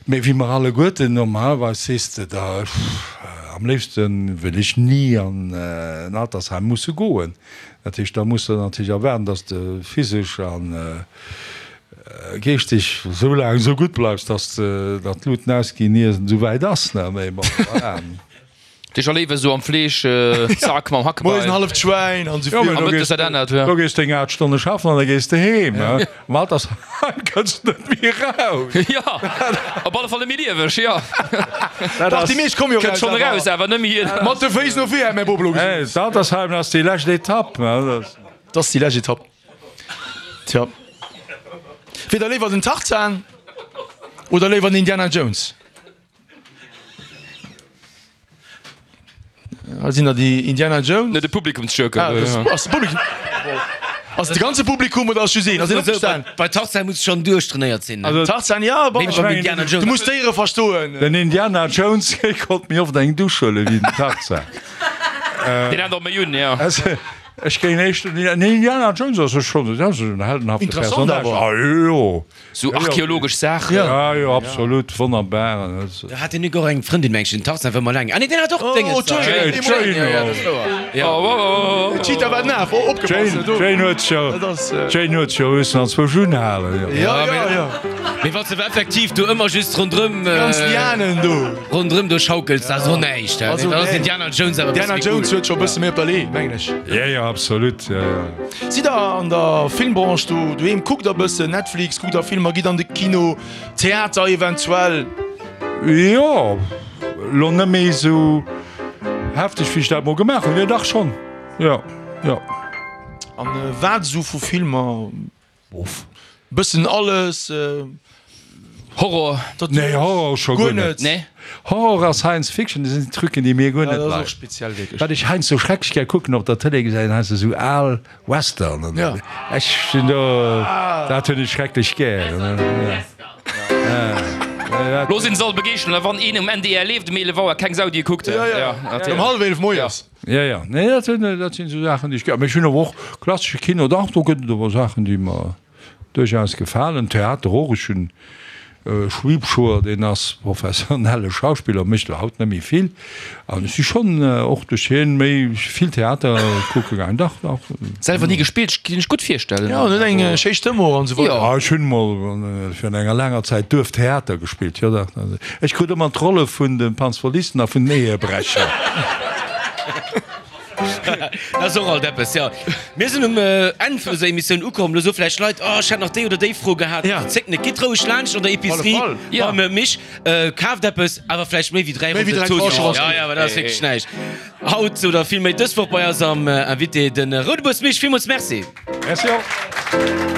Mee wéi mer alleguerten, normalerweis sees de der, am léifste wëll ech ni an en Altersheim musse goen. Dat heescht, da muss de natierlech erwaarden, datt s de physesch a geeschteg esou laang esou gutt bleifs, datt d'Luten ausginn, ier et esou wäit ass. Mee bon, voilà. Dech erléiwe sou am Fleesch, Zack mam Hackbeil. Moies en halleft Schwäin an Jo, souvill. mee do gees do gees deng aacht Stonne schaffen an da gees de heem. Am Altersheim kënns de net méi eraus. Jo, op alle Fall net méi lieweg, jo. Dat Dach, ass. déi meescht komme jo Kënnt eraus, schonn awer eraus, awer net méi. Mat de Féiss no vir, hätt mäi Bop elo Hey, gesot. d'Altersheim ass déi lescht Etapp, ne? Dat ass déi lescht Etapp. Tja. Wier der léiwer den Tarzan oder léiwer den Indiana Jones? Hei sinn der déi Indiana Jones. Net de Publikumsjoker. Ah, das ass de Publikum. Ass de ganze Publikum oder ass just een? Ass een opgestan? Bei Tarzan muss schonn duerchtrainéiert sinn. Also, Tarzan, ja, bon, Méi beim Indiana Jones. Du muss d'Déiere verstoen. Den Indiana Jones konnt méi oft eng Dusch huelen wéi den Tarzan. Deen hat och méi un, ja. Ech géing éischter den Indiana Jones ass schonn dat ass en heldenhafte Interessant Personnage. awer. Ah jo. Sou archeologesch Saachen. Ja jo, absolut, wonnerbar. Da hat den och eng Frëndin mengen ech, den Tarzan war mol eng. Ah nee, deen hat och Dénges. Oh, Jane, Jane, Ja, ja, dat ass wouer. Ja. Oh, oh, oh, oh. D'Cheetah war naf, oh, opgepasst, Jane, do. Jane huet scho, Dat ass, Jane huet scho mussen anzwousch unhalen, jo. Ja, ja, ja. Mee wann s de effektiv do ëmmer just ronderëm, Ganz Lianen do. ronderëm do schaukels, dat ass och näischt. Also, Dann ass nee. Indiana Jones awer e bësse Indiana méi cool. Jones huet scho e bësse méi op der Lee, mengen ech. Ja, ja, absolut, ja, ja. Sidd der an der Filmbranche do doheem? Kuckt der e bëssen Netflix, kuckt der Filmer, gitt an de Kino, Theater eventuell? Jo, lo net méi esou hefteg, wéi ech dat mol gemaach hunn. Jo, dach schonn. Jo, jo. An wat esou vu Filmer? Bof. Bëssen alles. Horror? Nee, Horror scho guer net. Nee? Horror a Science Fiction, dat sinn Trucken, déi mir guer net leien. Wat ech heiansdo schrecklech gär kucken op der Tëlee, gesäit een heiansdo esou al Westernen. Ja. Ech sinn do, dat hunn ech schrecklech gär. Looss een se all begeeschteren, a wann een um NDR leeft um eelef Auer, keng Sau déi e kuckt. Ja, ja, um hallef eelef moies. Ja, ja, nee, dat sinn, dat sinn esou Saachen, déi ech gär. Mee ech hunn awer och klassesche Kino, dach, do gëtt et awer Saachen, déi mer duerchaus gefalen. Theater och, ech hunn e Schwiebschoer, deen ass professionelle Schauspiller, mécht elo haut net méi vill. An ech si schonn och duerch hien méi vill Theater kucke gaangen, dach, dach. Selwer ni gespillt, kinnt ech gutt virstellen. Jo, en huet eng schéi Stëmm och an esou weider. Jo, ech hunn mol virun enger laanger Zäit Duerftheater gespillt, jo dach. Ech krut ëmmer d'Rolle vun de Panzvolisten a vun den Ehebrecher. Dat ass och alt eppes, jo. Mir sinn um Enn vun eiser Emissioun ukomm. Lo soe vläicht Leit, Oh, ech hätt nach déi oder déi Fro gehat. Ja. Zéckt net, gitt roueg laanscht an der Epicerie Auf alle Fall. beim Mich, kaaft eppes, awer vläicht méi wéi dräi Méi wéi Rosen dräi Zooss. Tranchen ass Ja, ja, well dat ass wierklech näischt. Haut oder villméi dës Woch bei eis am Invité de Roudebuers Mich. Villmools Merci. Merci och.